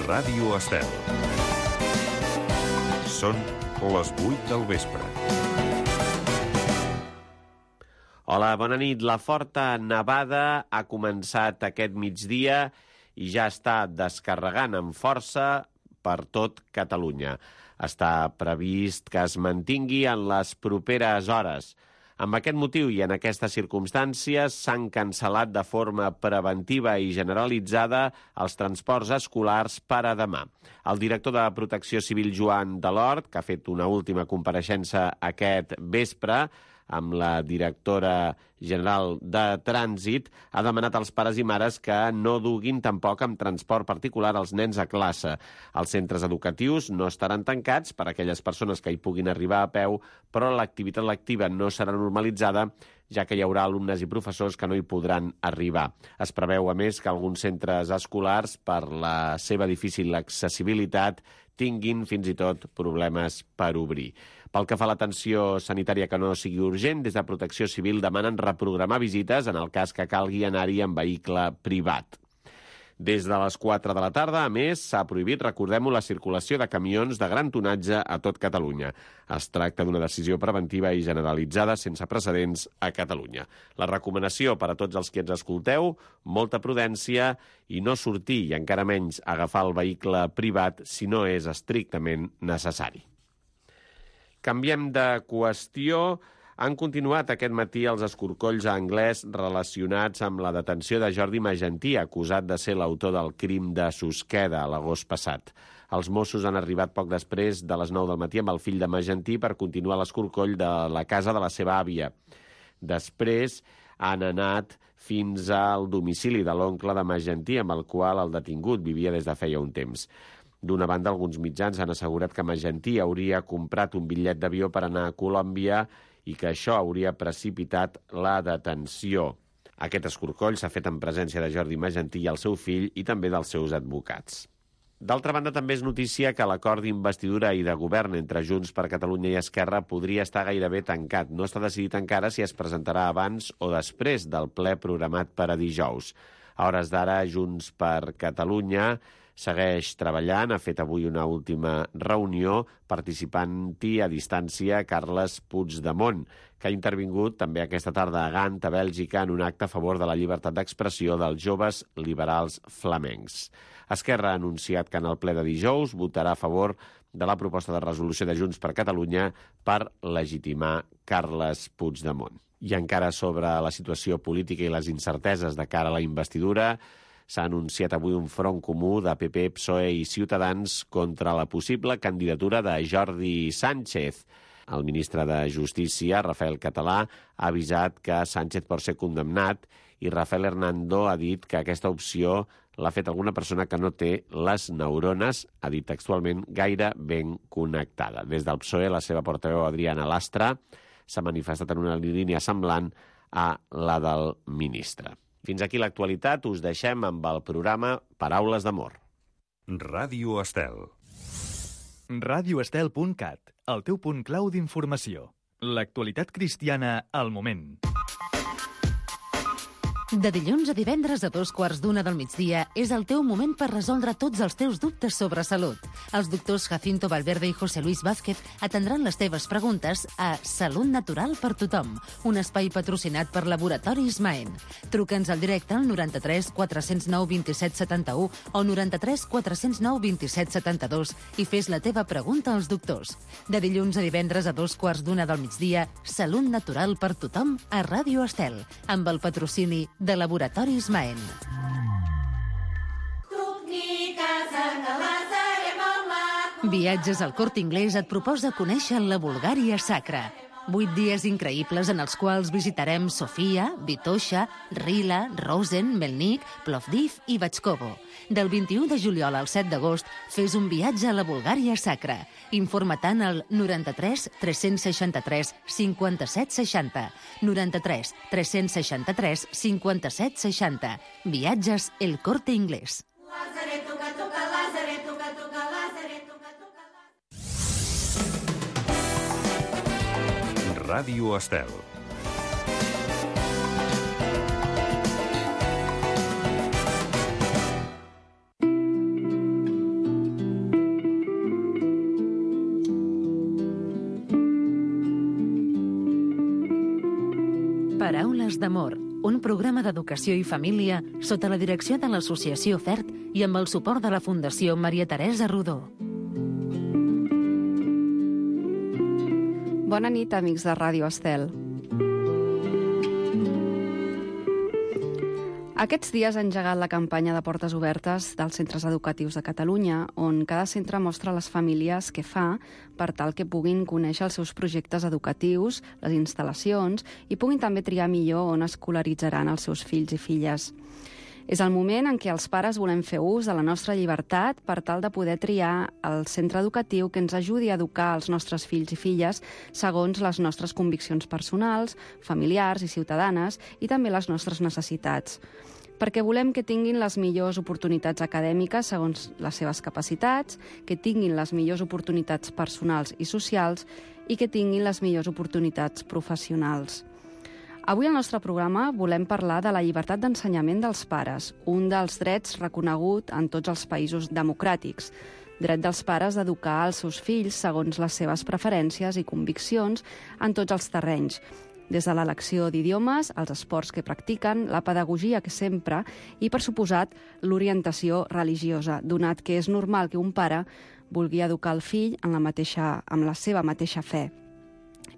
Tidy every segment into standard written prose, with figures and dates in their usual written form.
Ràdio Estel. Són les 8 del vespre. Hola, bona nit. La forta nevada ha començat aquest migdia i ja està descarregant amb força per tot Catalunya. Està previst que es mantingui en les properes hores. Amb aquest motiu i en aquestes circumstàncies s'han cancel·lat de forma preventiva i generalitzada els transports escolars per a demà. El director de Protecció Civil, Joan Delort, que ha fet una última compareixença aquest vespre amb la directora general de Trànsit, ha demanat als pares i mares que no duguin tampoc amb transport particular els nens a classe. Els centres educatius no estaran tancats per a aquelles persones que hi puguin arribar a peu, però l'activitat lectiva no serà normalitzada, ja que hi haurà alumnes i professors que no hi podran arribar. Es preveu, a més, que alguns centres escolars, per la seva difícil accessibilitat, tinguin fins i tot problemes per obrir. Pel que fa a l'atenció sanitària que no sigui urgent, des de Protecció Civil demanen reprogramar visites en el cas que calgui anar-hi en vehicle privat. Des de les 4 de la tarda, a més, s'ha prohibit, recordem-ho, la circulació de camions de gran tonatge a tot Catalunya. Es tracta d'una decisió preventiva i generalitzada sense precedents a Catalunya. La recomanació per a tots els que ens escolteu, molta prudència i no sortir, i encara menys agafar el vehicle privat si no és estrictament necessari. Canviem de qüestió. Han continuat aquest matí els escorcolls a Anglès relacionats amb la detenció de Jordi Magentí, acusat de ser l'autor del crim de Susqueda l'agost passat. Els Mossos han arribat poc després de les 9 del matí amb el fill de Magentí per continuar l'escorcoll de la casa de la seva àvia. Després han anat fins al domicili de l'oncle de Magentí, amb el qual el detingut vivia des de feia un temps. D'una banda, alguns mitjans han assegurat que Magentí hauria comprat un bitllet d'avió per anar a Colòmbia i que això hauria precipitat la detenció. Aquest escorcoll s'ha fet en presència de Jordi Magentí i el seu fill i també dels seus advocats. D'altra banda, també és notícia que l'acord d'investidura i de govern entre Junts per Catalunya i Esquerra podria estar gairebé tancat. No està decidit encara si es presentarà abans o després del ple programat per a dijous. A hores d'ara, Junts per Catalunya segueix treballant, ha fet avui una última reunió participant-hi a distància Carles Puigdemont, que ha intervingut també aquesta tarda a Gant, a Bèlgica, en un acte a favor de la llibertat d'expressió dels joves liberals flamencs. Esquerra ha anunciat que en el ple de dijous votarà a favor de la proposta de resolució de Junts per Catalunya per legitimar Carles Puigdemont. I encara sobre la situació política i les incerteses de cara a la investidura, s'ha anunciat avui un front comú de PP, PSOE i Ciutadans contra la possible candidatura de Jordi Sánchez. El ministre de Justícia, Rafael Català, ha avisat que Sánchez pot ser condemnat i Rafael Hernando ha dit que aquesta opció l'ha fet alguna persona que no té les neurones, ha dit textualment, gaire ben connectada. Des del PSOE, la seva portaveu Adriana Lastra s'ha manifestat en una línia semblant a la del ministre. Fins aquí l'actualitat, us deixem amb el programa Paraules d'Amor. Ràdio Estel. radioestel.cat, el teu punt clau d'informació. L'actualitat cristiana al moment. De dilluns a divendres a 2:15 del migdia és el teu moment per resoldre tots els teus dubtes sobre salut. Els doctors Jacinto Valverde i José Luis Vázquez atendran les teves preguntes a Salut Natural per Tothom, un espai patrocinat per Laboratoris Maen. Truca'ns al directe al 93 409 27 71 o 93 409 27 72 i fes la teva pregunta als doctors. De dilluns a divendres a 2:15 del migdia, Salut Natural per Tothom a Ràdio Estel, amb el patrocini de Laboratoris Maen. Viatges al Corte Inglés et proposa conèixer la Bulgària sacra. 8 dies increïbles en els quals visitarem Sofia, Vitoša, Rila, Rosen, Melnik, Plovdiv i Batxkovo. Del 21 de juliol al 7 d'agost, fes un viatge a la Bulgària sacra. Informa-te'n al 93 363 57 60. 93 363 57 60. Viatges El Corte Inglés. Ràdio Estel. Ones d'Amor, un programa d'educació i família sota la direcció de l'Associació FERT i amb el suport de la Fundació Maria Teresa Rodó. Bona nit, amics de Ràdio Estel. Aquests dies ha engegat la campanya de portes obertes dels centres educatius de Catalunya, on cada centre mostra les famílies què fa per tal que puguin conèixer els seus projectes educatius, les instal·lacions, i puguin també triar millor on escolaritzaran els seus fills i filles. És el moment en què els pares volem fer ús de la nostra llibertat per tal de poder triar el centre educatiu que ens ajudi a educar els nostres fills i filles segons les nostres conviccions personals, familiars i ciutadanes i també les nostres necessitats. Perquè volem que tinguin les millors oportunitats acadèmiques segons les seves capacitats, que tinguin les millors oportunitats personals i socials i que tinguin les millors oportunitats professionals. Avui al nostre programa volem parlar de la llibertat d'ensenyament dels pares, un dels drets reconegut en tots els països democràtics. Dret dels pares d'educar els seus fills segons les seves preferències i conviccions en tots els terrenys, des de l'elecció d'idiomes, els esports que practiquen, la pedagogia que sempre i, per suposat, l'orientació religiosa, donat que és normal que un pare vulgui educar el fill amb la seva mateixa fe.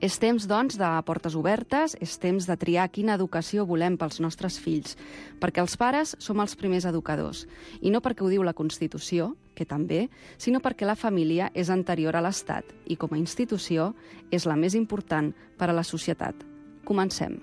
És temps, doncs, de portes obertes, és temps de triar quina educació volem pels nostres fills, perquè els pares som els primers educadors, i no perquè ho diu la Constitució, que també, sinó perquè la família és anterior a l'Estat i, com a institució, és la més important per a la societat. Comencem.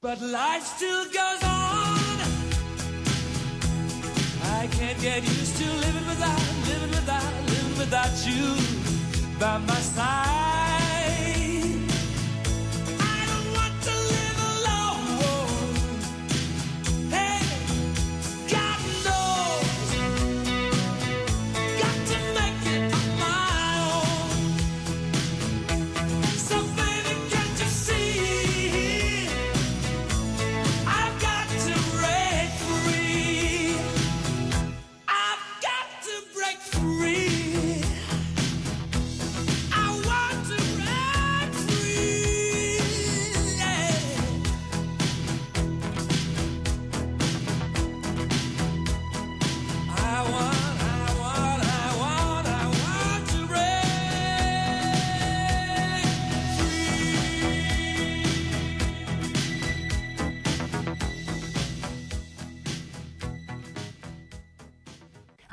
But life still goes on. I can't get used to living without you by my side. I don't want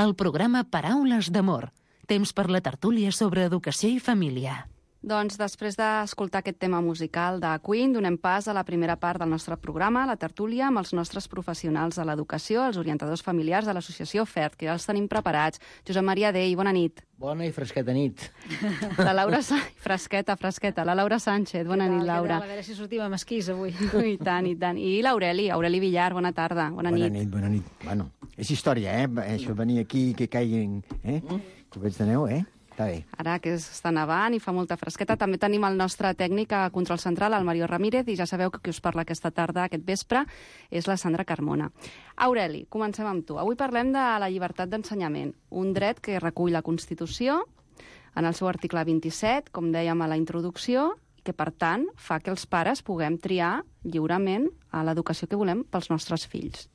el programa Paraules d'Amor. Temps per la tertúlia sobre educació i família. Doncs després d'escoltar aquest tema musical de Queen, donem pas a la primera part del nostre programa, la tertúlia, amb els nostres professionals de l'educació, els orientadors familiars de l'associació FERT, que ja els tenim preparats. Josep Maria Dei, bona nit. Bona i fresqueta nit. La Laura Fresqueta. La Laura Sánchez, bona nit, Laura. A veure si sortim amb esquís avui. I tant, i tant. I l'Aureli Villar, bona tarda, bona nit. Bona nit. Bueno, és història, Això venir aquí, que caiguin, copets de neu, Està bé. Ara que està nevant i fa molta fresqueta, també tenim el nostre tècnic a Control Central, el Mario Ramírez, i ja sabeu que qui us parla aquesta tarda, aquest vespre, és la Sandra Carmona. Aureli, comencem amb tu. Avui parlem de la llibertat d'ensenyament, un dret que recull la Constitució en el seu article 27, com dèiem a la introducció, i que, per tant, fa que els pares puguem triar lliurement a l'educació que volem pels nostres fills.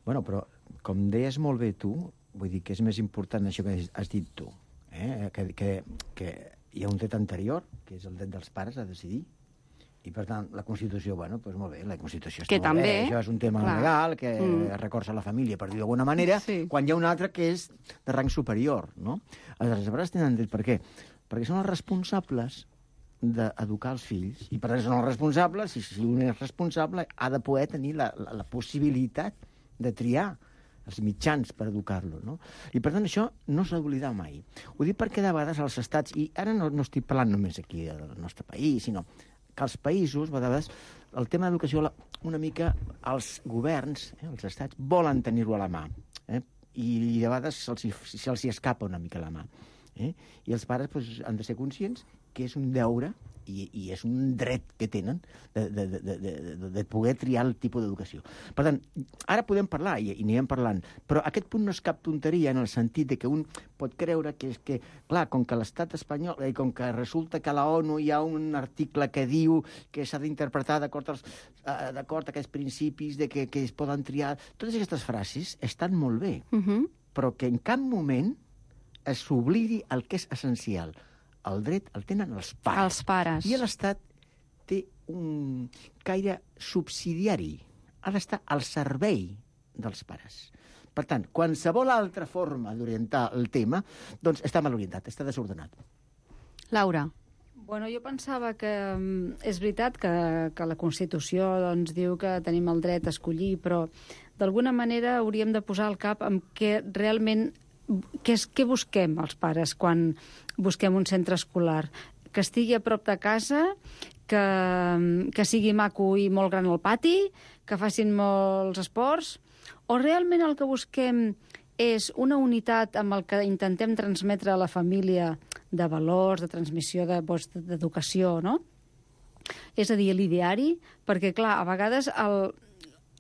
Bueno, però, com deies molt bé tu, vull dir que és més important això que has dit tu, que hi ha un dret anterior, que és el dret dels pares a decidir, i per tant la Constitució, bueno, doncs molt bé, la Constitució està molt bé, això és un tema legal que recorda la família, per dir d'alguna manera, quan hi ha un altre que és de rang superior, no? Els pares tenen dret, per què? Perquè són els responsables d'educar els fills, i per tant són els responsables, i si un és responsable ha de poder tenir la possibilitat de triar els mitjans per educar-lo, no? I, per tant, això no s'ha d'oblidar mai. Ho dic perquè de vegades els estats, i ara no estic parlant només aquí del nostre país, sinó que els països, a vegades, el tema d'educació, una mica els governs, els estats, volen tenir-ho a la mà, i de vegades se'ls escapa una mica la mà. I els pares han de ser conscients que és un deure i és un dret que tenen de poder triar el tipus d'educació. Per tant, ara podem parlar, i anirem parlant, però aquest punt no és cap tonteria en el sentit de que un pot creure que és que, clar, com que l'estat espanyol, i com que resulta que a la ONU hi ha un article que diu que s'ha d'interpretar d'acord a aquests principis de que es poden triar, totes aquestes frases estan molt bé, però que en cap moment s'oblidi el que és essencial. El dret el tenen els pares. Els pares. I l'Estat té un caire subsidiari. Ha d'estar al servei dels pares. Per tant, qualsevol altra forma d'orientar el tema, doncs està mal orientat, està desordenat. Laura. Bueno, jo pensava que és veritat que la Constitució doncs, diu que tenim el dret a escollir, però d'alguna manera hauríem de posar el cap en què realment què busquem els pares quan busquem un centre escolar? Que estigui a prop de casa, que sigui maco i molt gran el pati, que facin molts esports, o realment el que busquem és una unitat amb el que intentem transmetre a la família de valors, de transmissió d'educació, no? És a dir, l'ideari, perquè, clar, a vegades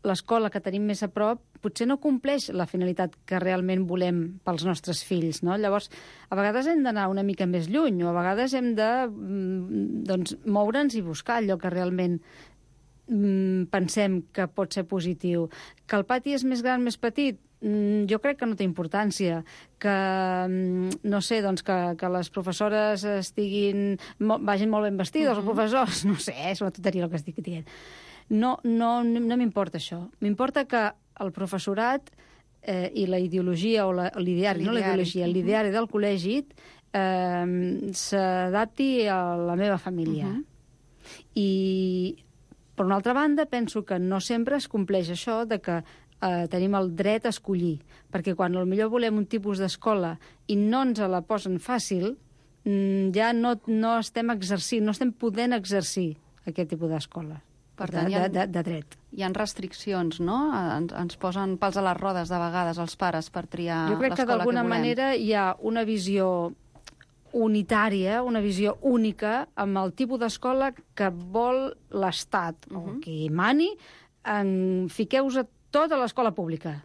l'escola que tenim més a prop potser no compleix la finalitat que realment volem pels nostres fills, no? Llavors, a vegades hem d'anar una mica més lluny, o a vegades hem de moure'ns i buscar allò que realment pensem que pot ser positiu. Que el pati és més gran, més petit? Jo crec que no té importància. Que, no sé, doncs que les professores vagin molt ben vestides, els professors, no sé, és una tonteria el que estic dient. No m'importa això. M'importa que el professorat i la ideologia, o l'ideari, no la ideologia, l'ideari del col·legi s'adapti a la meva família. I, per una altra banda, penso que no sempre es compleix això de que tenim el dret a escollir, perquè quan potser volem un tipus d'escola i no ens la posen fàcil, ja no estem exercint, no estem podent exercir aquest tipus d'escola. Per tant, de dret. Hi ha restriccions, no? Ens posen pals a les rodes, de vegades, els pares, per triar l'escola que volem. Jo crec que d'alguna manera hi ha una visió unitària, una visió única, amb el tipus d'escola que vol l'Estat, o qui mani, fiqueu-vos tot a l'escola pública.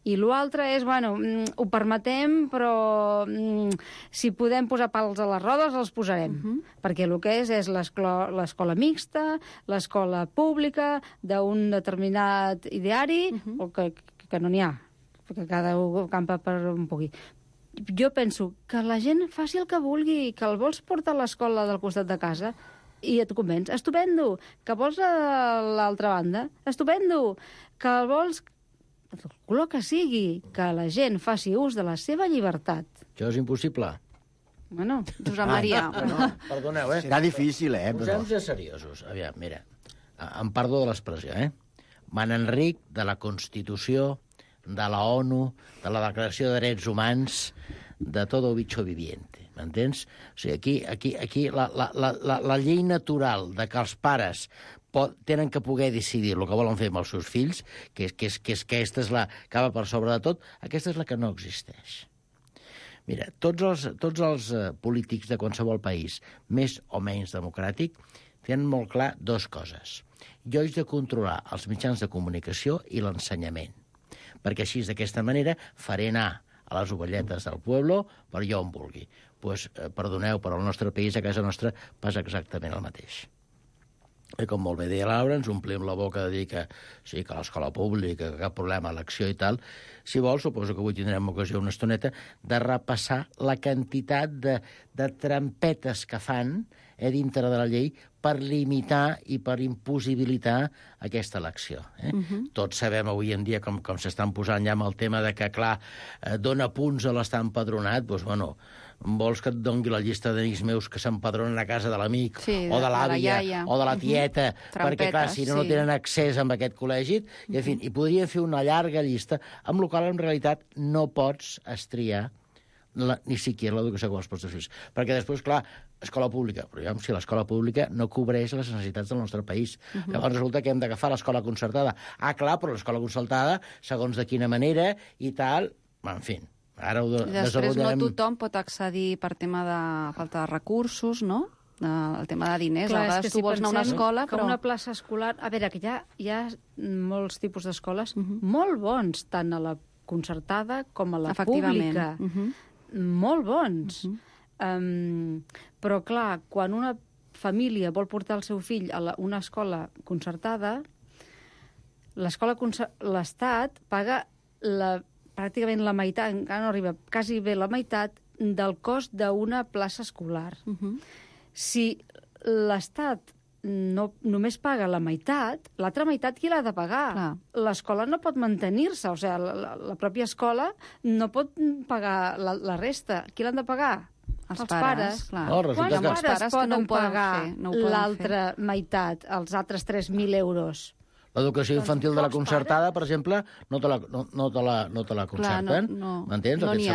I l'altre és, bueno, ho permetem, però si podem posar pals a les rodes, els posarem. Perquè el que és l'escola mixta, l'escola pública, d'un determinat ideari, o que no n'hi ha, perquè cada un campa per on pugui. Jo penso que la gent faci el que vulgui, que el vols portar a l'escola del costat de casa i et convenç. Estupendo! Que vols a l'altra banda? Estupendo! Que el vols el color que sigui, que la gent faci ús de la seva llibertat. Això és impossible. Bueno, Josep Maria. Perdoneu, Serà difícil, però... Posem-nos seriosos. Aviam, mira, em perdó de l'expressió, Manenric, de la Constitució, de la ONU, de la Declaració de Drets Humans, de todo bicho viviente, m'entens? O sigui, aquí la llei natural de que els pares tenen que poder decidir el que volen fer amb els seus fills, que aquesta és la que va per sobre de tot, aquesta és la que no existeix. Mira, tots els polítics de qualsevol país, més o menys democràtic, tenen molt clar dues coses. Jo haig de controlar els mitjans de comunicació i l'ensenyament, perquè així, d'aquesta manera, faré anar a les ovelletes del poble per allà on vulgui. Doncs, perdoneu, però al nostre país, a casa nostra, passa exactament el mateix. I com molt bé deia Laura, ens omplim la boca de dir que sí, que l'escola pública, que cap problema, elecció i tal. Si vol, suposo que avui tindrem ocasió una estoneta de repassar la quantitat de trampetes que fan dintre de la llei per limitar i per impossibilitar aquesta elecció. Tots sabem avui en dia com s'estan posant ja amb el tema de que, clar, dona punts a l'estar empadronat, doncs, bueno, vols que et dongui la llista d'amics meus que s'empadronen a casa de l'amic, o de l'àvia, o de la tieta, perquè, clar, si no tenen accés a aquest col·legi, i, en fi, i podria fer una llarga llista, amb la qual, en realitat, no pots estriar ni siquiera l'educació com els vostres fills. Perquè després, clar, escola pública, però si l'escola pública no cobreix les necessitats del nostre país. Llavors resulta que hem d'agafar l'escola concertada. Ah, clar, però l'escola concertada, segons de quina manera i tal, en fi, ara ho després no tothom pot accedir per tema de falta de recursos, no? El tema de diners. Clar, a vegades tu vols anar a una escola, però... una plaça escolar... A veure, que hi ha molts tipus d'escoles molt bons, tant a la concertada com a la pública. Molt bons. Però, clar, quan una família vol portar el seu fill a una escola concertada, l'Estat paga pràcticament la meitat, encara no arriba, quasi bé la meitat del cost d'una plaça escolar. Si l'Estat només paga la meitat, l'altra meitat qui l'ha de pagar? L'escola no pot mantenir-se, o sigui, la pròpia escola no pot pagar la resta. Qui l'han de pagar? Els pares. Quants pares poden pagar l'altra meitat, els altres 3.000 euros? L'educació infantil de la concertada, per exemple, no te la concerten. M'entens? No n'hi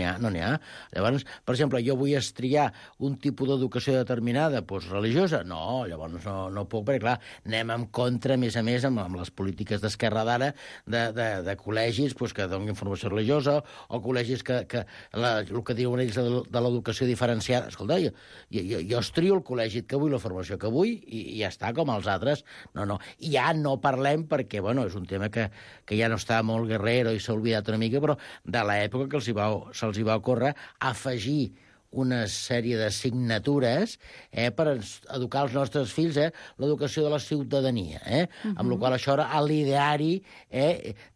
ha. No n'hi ha. Llavors, per exemple, jo vull estriar un tipus d'educació determinada, doncs religiosa. No, llavors no puc, perquè, clar, anem en contra, a més, amb les polítiques d'esquerra d'ara, de col·legis que donin formació religiosa, o col·legis que el que diuen ells de l'educació diferenciada. Escolta, jo estrio el col·legi que vull, la formació que vull, i ja està, com els altres. No. I ja no parlem perquè, bueno, és un tema que ja no està molt guerrero i s'ha oblidat una mica, però de l'època que se'ls hi va ocórrer afegir una sèrie d'assignatures per educar els nostres fills, l'educació de la ciutadania, amb la qual això era l'ideari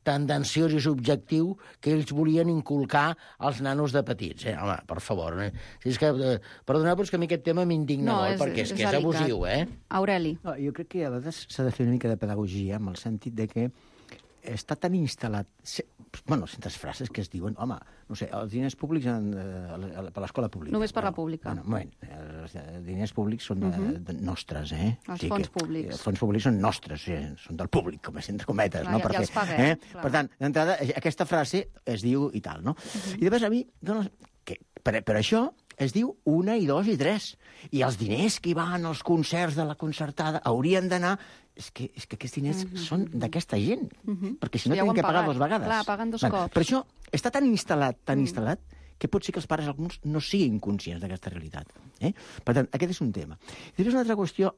tendenciós i subjectiu que ells volien inculcar als nanos de petits. Home, per favor. Si és que, perdoneu, però és que a mi aquest tema m'indigna molt, perquè és que és abusiu, Aureli. Jo crec que a vegades s'ha de fer una mica de pedagogia, en el sentit de que està tan instal·lat... Bueno, certes frases que es diuen, home, no sé, els diners públics per l'escola pública. Només per la pública. Bueno, un moment, els diners públics són nostres, Els fons públics. Els fons públics són nostres, són del públic, com entre cometes. Clar, ja els paguem. Per tant, d'entrada, aquesta frase es diu i tal, no? I després a mi, per això es diu 1, 2 i 3. I els diners que hi van als concerts de la concertada haurien d'anar... És que aquests diners són d'aquesta gent, perquè si no tenen que pagar 2 vegades. Clar, paguen 2 cops. Per això està tan instal·lat, que pot ser que els pares alguns no siguin conscients d'aquesta realitat. Per tant, aquest és un tema. I després una altra qüestió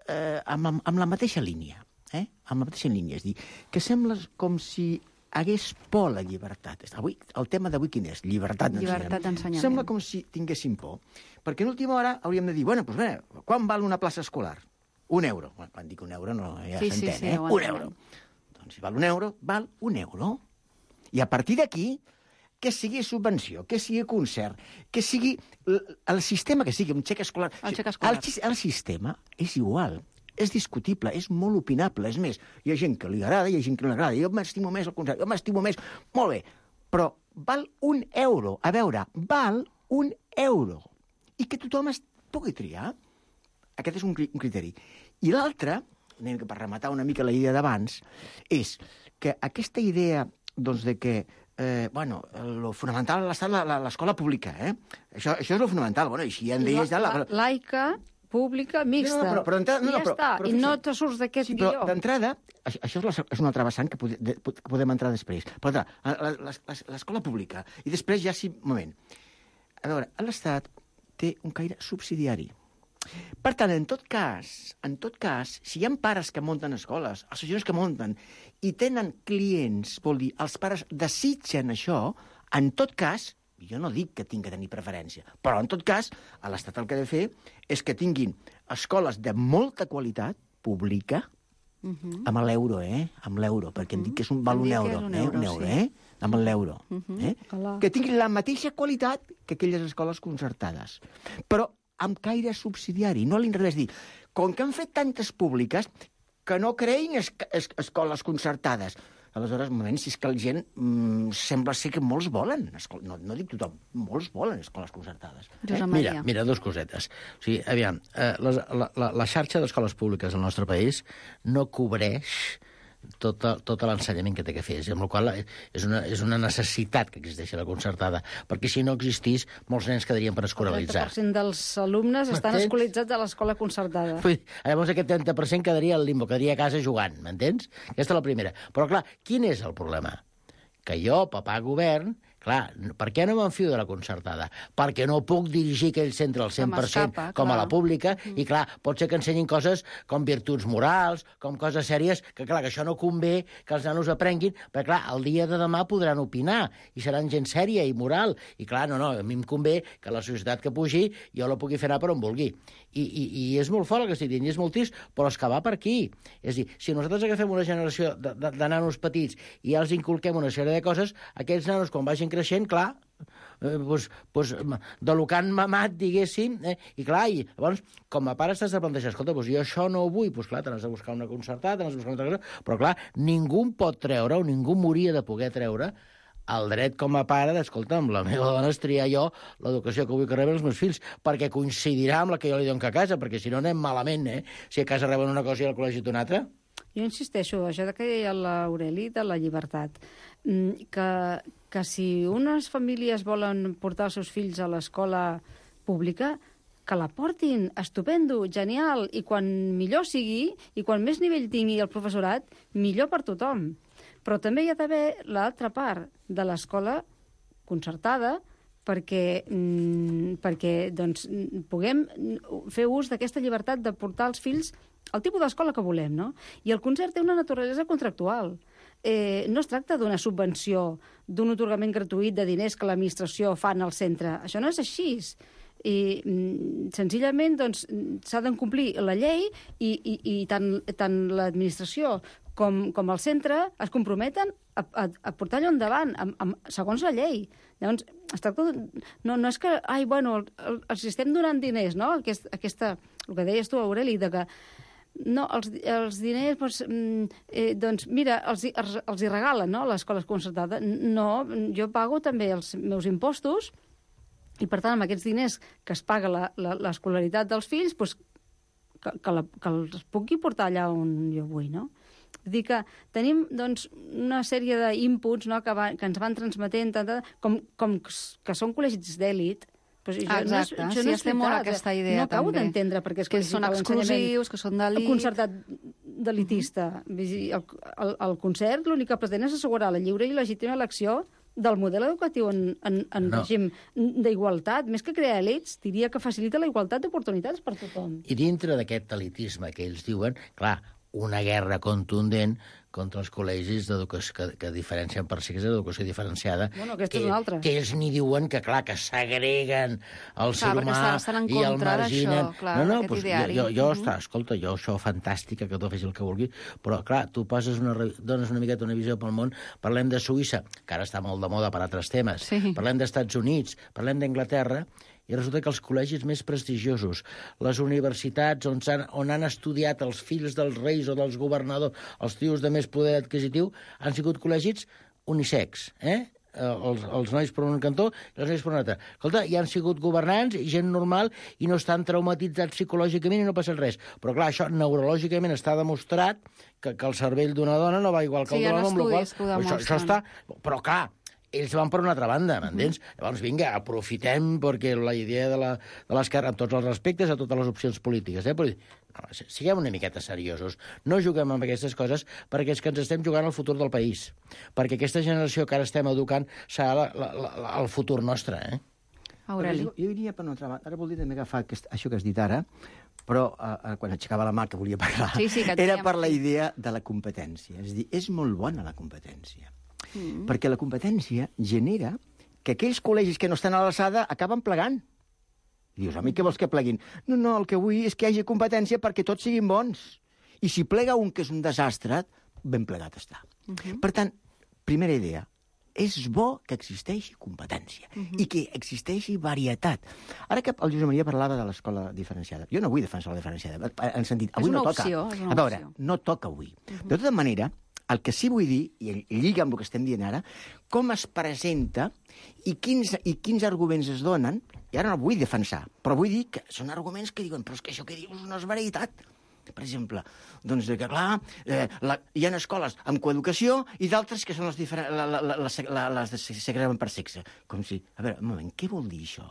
amb la mateixa línia. Amb la mateixa línia, és dir, que sembla com si hagués por a la llibertat. El tema d'avui quin és? Llibertat d'ensenyament. Sembla com si tinguessin por. Perquè en última hora hauríem de dir, bueno, quan val una plaça escolar? 1 euro. Quan dic 1 euro ja s'entén, 1 euro. Doncs si val 1 euro, val 1 euro. I a partir d'aquí, que sigui subvenció, que sigui concert, que sigui el sistema que sigui, un xec escolar... El xec escolar. El sistema és igual. és discutible, és molt opinable. És més, hi ha gent que li agrada, hi ha gent que no li agrada. Jo m'estimo més el concert, jo m'estimo més... Molt bé, però val €1. A veure, val €1. I que tothom es pugui triar. Aquest és un criteri. I l'altre, per rematar una mica la idea d'abans, és que aquesta idea doncs, de que lo fonamental ha estat l'escola pública, Això és lo fonamental. Bueno, i si ja en deies ja... Laica, pública, mixta. Però ja està, i no te surts d'aquest guió. Però d'entrada, això és una altra vessant que podem entrar després. Però l'escola pública, i després ja sí... Un moment. A veure, l'Estat té un caire subsidiari. Per tant, en tot cas, si hi ha pares que munten escoles, associacions que munten, i tenen clients, vol dir, els pares desitgen això, en tot cas, jo no dic que tinc que tenir preferència, però en tot cas, l'Estat el que ha de fer és que tinguin escoles de molta qualitat pública, amb l'euro, amb l'euro, perquè em dic que val un euro, amb l'euro, que tinguin la mateixa qualitat que aquelles escoles concertades. Però amb caire subsidiari, no a l'inrevés, dir, com que han fet tantes públiques, que no creïn escoles concertades. Aleshores, un moment, si és que la gent sembla ser que molts volen, no dic tothom, molts volen escoles concertades. Mira, dos cosetes. O sigui, aviam, la xarxa d'escoles públiques del nostre país no cobreix tot l'ensenyament que té que fer, amb la qual és una necessitat que existeixi la concertada, perquè si no existís, molts nens quedarien per escolaritzar. El 30% dels alumnes estan escolaritzats a l'escola concertada. Llavors aquest 30% quedaria al limbo, quedaria a casa jugant, m'entens? Aquesta és la primera. Però, clar, quin és el problema? Que jo, papà govern, clar, per què no m'enfio de la concertada? Perquè no puc dirigir aquell centre al 100% com a la pública, i clar, pot ser que ensenyin coses com virtuts morals, com coses sèries, que clar, que això no convé que els nanos aprenguin, perquè clar, el dia de demà podran opinar, i seran gent sèria i moral, i clar, no, a mi em convé que la societat que pugi jo la pugui fer anar per on vulgui. I és molt fort el que estic dient, i és molt trist, però és que va per aquí. És a dir, si nosaltres agafem una generació de nanos petits i ja els inculquem una sèrie de coses, aquells nanos, quan vagin creixent, clar, de lo que han mamat, diguéssim, i clar, i llavors, com a pare estàs de plantejar, escolta, jo això no ho vull, doncs clar, t'has de buscar una concertada, t'has de buscar una altra cosa, però clar, ningú pot treure, o ningú m'hauria de poder treure el dret com a pare d'escolta, amb la meva dona és triar jo l'educació que vull que reben els meus fills, perquè coincidirà amb la que jo li dono a casa, perquè si no anem malament, si a casa reben una cosa i al col·legi una altra. Jo insisteixo, això que deia l'Aureli de la llibertat, que si unes famílies volen portar els seus fills a l'escola pública, que la portin, estupendo, genial, i quan millor sigui, i quan més nivell tingui el professorat, millor per tothom. Però també hi ha d'haver l'altra part de l'escola concertada perquè doncs, puguem fer ús d'aquesta llibertat de portar els fills al tipus d'escola que volem, no? I el concert té una naturalesa contractual. No es tracta d'una subvenció, d'un atorgament gratuït de diners que l'administració fa en el centre. Això no és així. I senzillament doncs, s'ha de complir la llei i tant l'administració com el centre es comprometen a portar allò endavant, segons la llei. Llavors, es tracta no és que, els estem donant diners, no? El que deies tu, Aureli, de que no, els diners, doncs, mira, els hi regalen, no?, l'escola concertada. No, jo pago també els meus impostos i, per tant, amb aquests diners que es paga l'escolaritat dels fills, doncs, que els pugui portar allà on jo vull, no? Vull dir que tenim doncs, una sèrie d'inputs, no?, que ens van transmetent, com que són col·legis d'èlit. Exacte, sí, estem molt a aquesta idea. No acabo d'entendre perquè que són exclusius, que són d'elit. El concertat d'elitista. El concert l'únic que pretén és assegurar la lliure i legítima elecció del model educatiu en règim d'igualtat. Més que crear elits, diria que facilita la igualtat d'oportunitats per tothom. I dintre d'aquest elitisme que ells diuen, clar, una guerra contundent contra els col·legis que diferencien per si que és l'educació diferenciada, aquesta és una altra. Que ells ni diuen que, clar, que segreguen el ser humà i el marginen. Escolta, jo això fantàstica, que tot faci el que vulgui, però, clar, tu dones una miqueta una visió pel món, parlem de Suïssa, que ara està molt de moda per altres temes, parlem d'Estats Units, parlem d'Anglaterra, i resulta que els col·legis més prestigiosos, les universitats on han estudiat els fills dels reis o dels governadors, els tios de més poder adquisitiu, han sigut col·legis unisex, els nois per un cantó i les noies per un altre. Escolta, hi han sigut governants i gent normal i no estan traumatitzats psicològicament i no passa res. Però clar, això neurològicament està demostrat que el cervell d'una dona no va igual que el d'un home, amb la qual això està... Però clar, ells van per una altra banda, m'entens? Llavors, vinga, aprofitem, perquè la idea de l'esquerra, amb tots els respectes a totes les opcions polítiques, però no, siguem una miqueta seriosos. No juguem amb aquestes coses perquè és que ens estem jugant al futur del país. Perquè aquesta generació que ara estem educant serà el futur nostre, Aureli. Jo diria per una altra banda, ara voldria també agafar això que has dit ara, però quan aixecava la mà que volia parlar, era per la idea de la competència. És a dir, és molt bona la competència. Perquè la competència genera que aquells col·legis que no estan a l'alçada acaben plegant. I dius, home, què vols que pleguin? No, el que vull és que hi hagi competència perquè tots siguin bons. I si plega un que és un desastre, ben plegat està. Per tant, primera idea, és bo que existeixi competència i que existeixi varietat. Ara que el Josep Maria parlava de l'escola diferenciada, jo no vull defensar la diferenciada, en sentit, avui no toca. A veure, no toca avui. De tota manera, el que sí vull dir, i lliga amb el que estem dient ara, com es presenta i quins arguments es donen, i ara no vull defensar, però vull dir que són arguments que diuen però és que això que dius no és veritat. Per exemple, doncs que, clar, hi ha escoles amb coeducació i d'altres que són les segreguen per sexe. Com si... A veure, un moment, què vol dir això?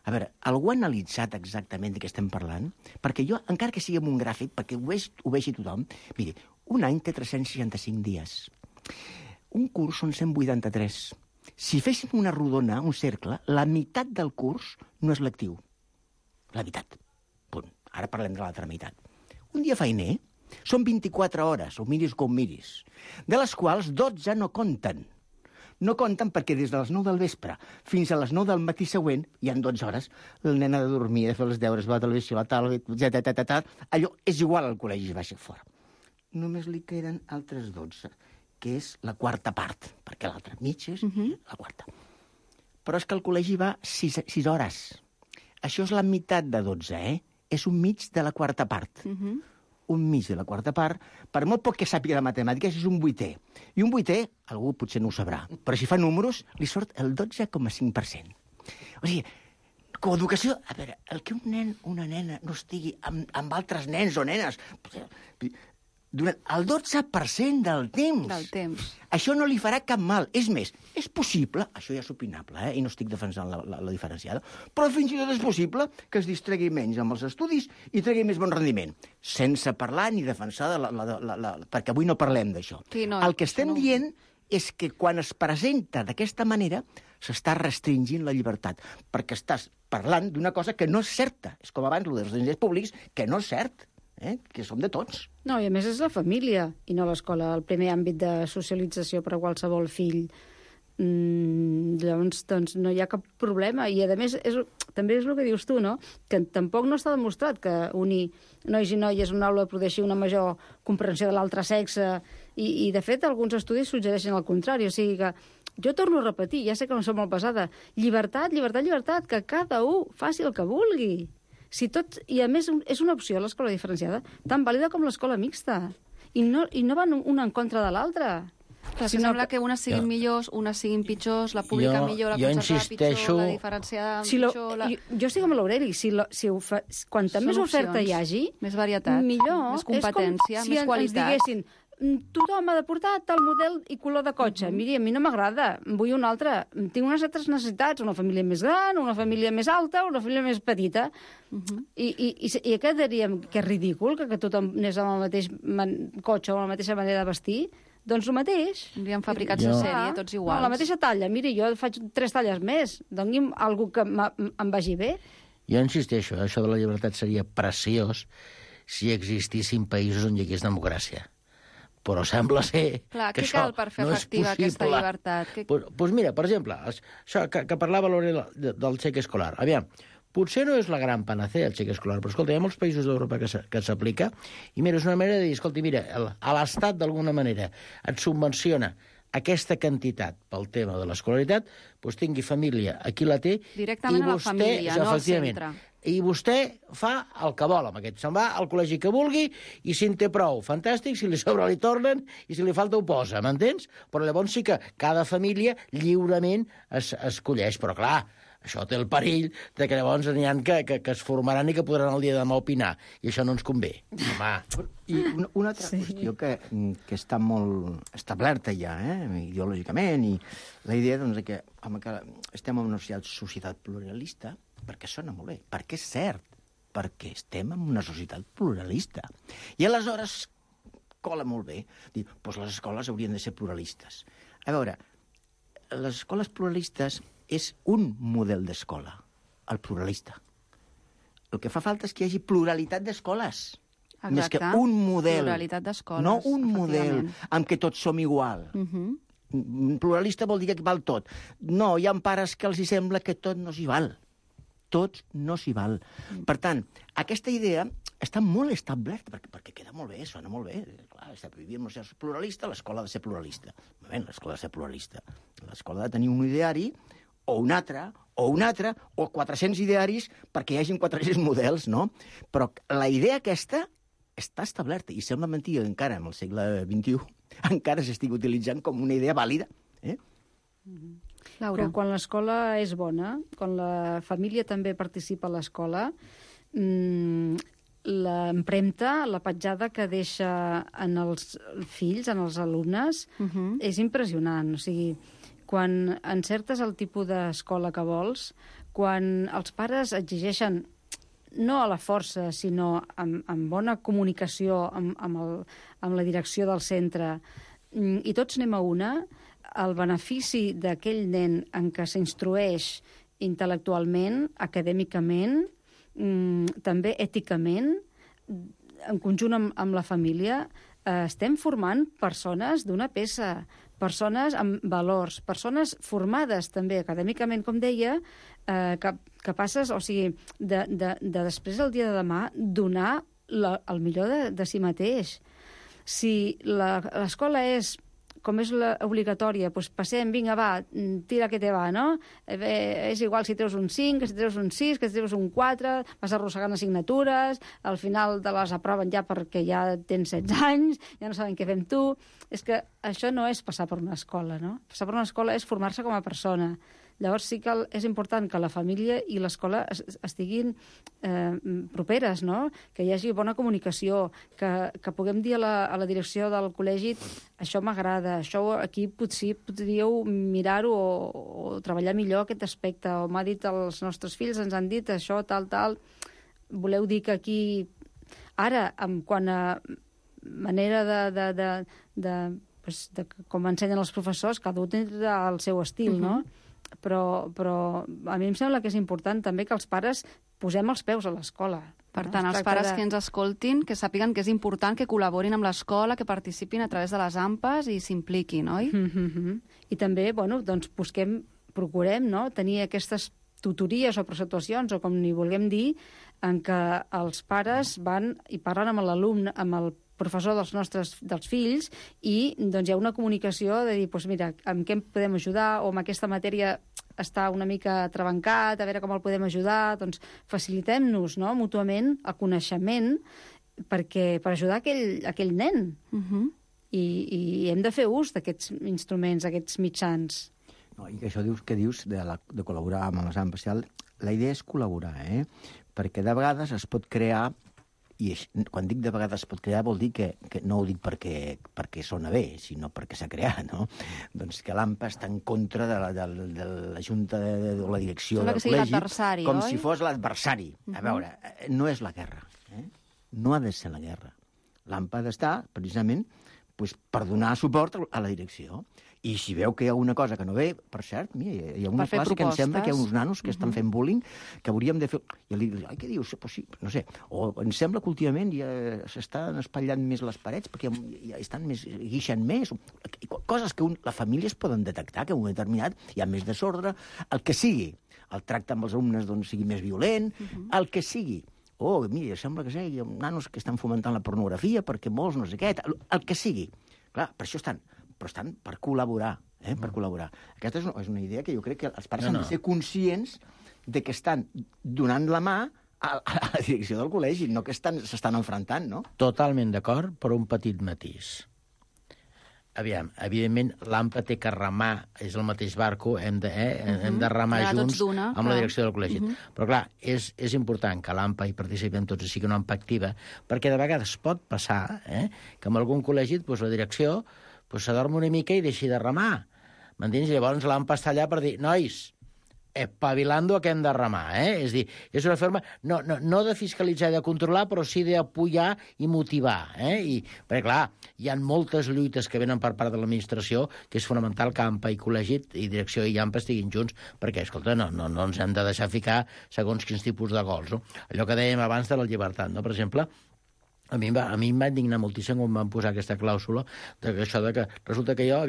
A veure, algú ha analitzat exactament de què estem parlant? Perquè jo, encara que sigui amb un gràfic, perquè ho vegi tothom, miri, un any té 365 dies. Un curs són 183. Si féssim una rodona, un cercle, la meitat del curs no és lectiu. La meitat. Punt. Ara parlem de l'altra meitat. Un dia feiner són 24 hores, o miris com miris, de les quals 12 no compten. No compten perquè des de les 9 del vespre fins a les 9 del matí següent hi ha 12 hores. El nen ha de dormir, ha de fer els deures, va a la televisió, la tal, allò és igual al col·legi, baixa fora. Només li queden altres 12, que és la quarta part, perquè l'altra mitja és la quarta. Però és que el col·legi va 6 hores. Això és la meitat de 12, És un mig de la quarta part. Un mig de la quarta part, per molt poc que sàpiga de matemàtiques, és un 8è. I un 8è, algú potser no ho sabrà, però si fa números, li surt el 12,5%. O sigui, coeducació... A veure, el que un nen o una nena no estigui amb altres nens o nenes... Durant el 12% del temps. Això no li farà cap mal. És més, és possible, això ja és opinable, i no estic defensant la diferenciada, però fins i tot és possible que es distregui menys amb els estudis i tregui més bon rendiment, sense parlar ni defensar perquè avui no parlem d'això. Sí, no, el que estem dient és que quan es presenta d'aquesta manera s'està restringint la llibertat, perquè estàs parlant d'una cosa que no és certa. És com abans, dels diners públics, que no és cert. Que som de tots. No, i a més és la família, i no l'escola, el primer àmbit de socialització per a qualsevol fill. Llavors, doncs, no hi ha cap problema. I, a més, també és el que dius tu, no? Que tampoc no està demostrat que unir nois i noies en una aula produeixi una major comprensió de l'altre sexe. I, de fet, alguns estudis suggereixen el contrari. O sigui que jo torno a repetir, ja sé que no som molt pesada, llibertat, que cada un faci el que vulgui. I a més és una opció l'escola diferenciada tan vàlida com l'escola mixta i no van una en contra de l'altra. Però sembla que unes siguin millors, unes siguin pitjors, la pública millor, la concertada pitjor, la diferenciada pitjor... Jo estic amb l'Aureli, quanta més oferta hi hagi, més varietat, millor. més competència, més qualitat. És com si ens diguessin tothom ha de portar tal model i color de cotxe. Miri, a mi no m'agrada, vull un altre. Tinc unes altres necessitats, una família més gran, una família més alta, una família més petita. I què diríem? Que és ridícul que tothom anés amb el mateix cotxe o amb la mateixa manera de vestir? Doncs el mateix. Hauríem fabricats a sèrie, tots iguals. No, la mateixa talla. Miri, jo faig 3 talles més. Doni'm alguna que em vagi bé. Jo insisteixo, això de la llibertat seria preciós si existissin països on hi hagués democràcia. Però sembla ser que això no és possible. Què cal per fer efectiva aquesta llibertat? Doncs mira, per exemple, això que parlava l'Aureli del xec escolar. Aviam, potser no és la gran panacea el xec escolar, però escolta, hi ha molts països d'Europa que s'aplica, i mira, és una manera de dir, escolta, mira, a l'Estat d'alguna manera et subvenciona aquesta quantitat pel tema de l'escolaritat, doncs tingui família, aquí la té... Directament a la família, no al centre. I vostè fa el que vol amb aquest. Se'n va al col·legi que vulgui i si en té prou, fantàstic, si li sobra li tornen i si li falta ho posa, m'entens? Però llavors sí que cada família lliurement escolleix, però clar, això té el perill de que llavors n'hi ha que es formaran i que podran el dia de demà opinar, i això no ens convé. Home. I una altra qüestió que està molt establerta ja, ideològicament, i la idea doncs, que, home, que estem en una societat pluralista, perquè sona molt bé, perquè és cert, perquè estem en una societat pluralista. I aleshores cola molt bé dir, doncs les escoles haurien de ser pluralistes. A veure, les escoles pluralistes és un model d'escola, el pluralista. El que fa falta és que hi hagi pluralitat d'escoles. Exacte. Més que un model. Pluralitat d'escoles, no un model en què tots som igual. Pluralista vol dir que val tot. No, hi ha pares que els sembla que tot no s'hi val. Tot no s'hi val. Per tant, aquesta idea està molt establerta, perquè queda molt bé, sona molt bé. Clar, vivim en una societat pluralista, l'escola ha de ser pluralista. L'escola ha de ser pluralista. L'escola ha de tenir un ideari, o un altre, o 400 idearis perquè hi hagin 400 models, no? Però la idea aquesta està establerta, i sembla mentida que encara en el segle XXI encara s'estigui utilitzant com una idea vàlida. Laura. Però quan l'escola és bona, quan la família també participa a l'escola, l'empremta, la petjada que deixa en els fills, en els alumnes, és impressionant. O sigui, quan encertes el tipus d'escola que vols, quan els pares exigeixen, no a la força, sinó amb bona comunicació amb la direcció del centre, i tots anem a una, el benefici d'aquell nen en què s'instrueix intel·lectualment, acadèmicament, també èticament, en conjunt amb la família, estem formant persones d'una peça, persones amb valors, persones formades també acadèmicament, com deia, capaces, o sigui, de després del dia de demà donar el millor de si mateix. Si l'escola és com és obligatòria, doncs passem, vinga, va, tira que te va, no? És igual si treus un 5, que si treus un 6, que si treus un 4, vas arrossegant assignatures, al final te les aproven ja perquè ja tens 16 anys, ja no saben què fem tu. És que això no és passar per una escola, no? Passar per una escola és formar-se com a persona. Llavors sí que és important que la família i l'escola estiguin properes, no? Que hi hagi bona comunicació, que puguem dir a la direcció del col·legi això m'agrada, això aquí potser podríeu mirar-ho o treballar millor aquest aspecte, o m'ha dit els nostres fills, ens han dit això, tal. Voleu dir que aquí... Ara, quant a manera de com ensenyen els professors, cada un tindrà el seu estil, no? Però a mi em sembla que és important també que els pares posem els peus a l'escola. Per tant, els pares que ens escoltin, que sàpiguen que és important que col·laborin amb l'escola, que participin a través de les AMPAs i s'impliquin, oi? I també, bueno, doncs procurem, no?, tenir aquestes tutories o preceptuacions, o com n'hi vulguem dir, en què els pares van i parlen amb l'alumne, amb el professor dels fills, i doncs hi ha una comunicació de dir, doncs mira, amb què podem ajudar, o amb aquesta matèria està una mica trabancat, a veure com el podem ajudar, doncs facilitem-nos, no?, mútuament el coneixement per ajudar aquell nen. I hem de fer ús d'aquests instruments, d'aquests mitjans. No, i això que dius de col·laborar amb les AMPAs, la idea és col·laborar, perquè de vegades es pot crear, i quan dic de vegades es pot crear vol dir que no ho dic perquè sona bé, sinó perquè s'ha creat, no? Doncs que l'AMPA està en contra de la Junta o la direcció del col·legi, com si fos l'adversari. A veure, no és la guerra, no ha de ser la guerra. L'AMPA ha d'estar, precisament, per donar suport a la direcció. I si veu que hi ha alguna cosa que no ve, per cert, mira, hi ha una classe que em sembla que hi ha uns nanos que estan fent bullying, que hauríem de fer... I li dic, ai, què dius? Pues sí, no sé. O em sembla que últimament ja s'estan espatllant més les parets perquè ja estan més, guixen més. Coses que la família es poden detectar, que en un determinat hi ha més desordre, el que sigui. El tracte amb els alumnes doncs, sigui més violent, el que sigui. Oh, mira, sembla que hi ha nanos que estan fomentant la pornografia perquè molts no sé què, el que sigui. Clar, per això estan però estan per col·laborar, per col·laborar. Aquesta és una idea que jo crec que els pares han de ser conscients de que estan donant la mà a la direcció del col·legi, no que s'estan enfrontant, no? Totalment d'acord, però un petit matís. Aviam, evidentment, l'AMPA té que remar, és el mateix barco, hem de remar junts amb la direcció del col·legi. Però, clar, és important que l'AMPA hi participem tots i sigui una AMPA activa, perquè de vegades pot passar que en algun col·legi la direcció s'adorma una mica i deixi de remar. M'entens? Llavors l'AMPA està allà per dir, nois, espavilando a què hem de remar, És a dir, és una forma no de fiscalitzar i de controlar, però sí d'apoyar i motivar, Perquè, clar, hi ha moltes lluites que venen per part de l'administració que és fonamental que AMPA i col·legi i direcció i AMPA estiguin junts, perquè, escolta, no ens hem de deixar ficar segons quins tipus de gols, no? Allò que dèiem abans de la llibertat, no? Per exemple, a mi em va indignar moltíssim quan van posar aquesta clàusula de que resulta que jo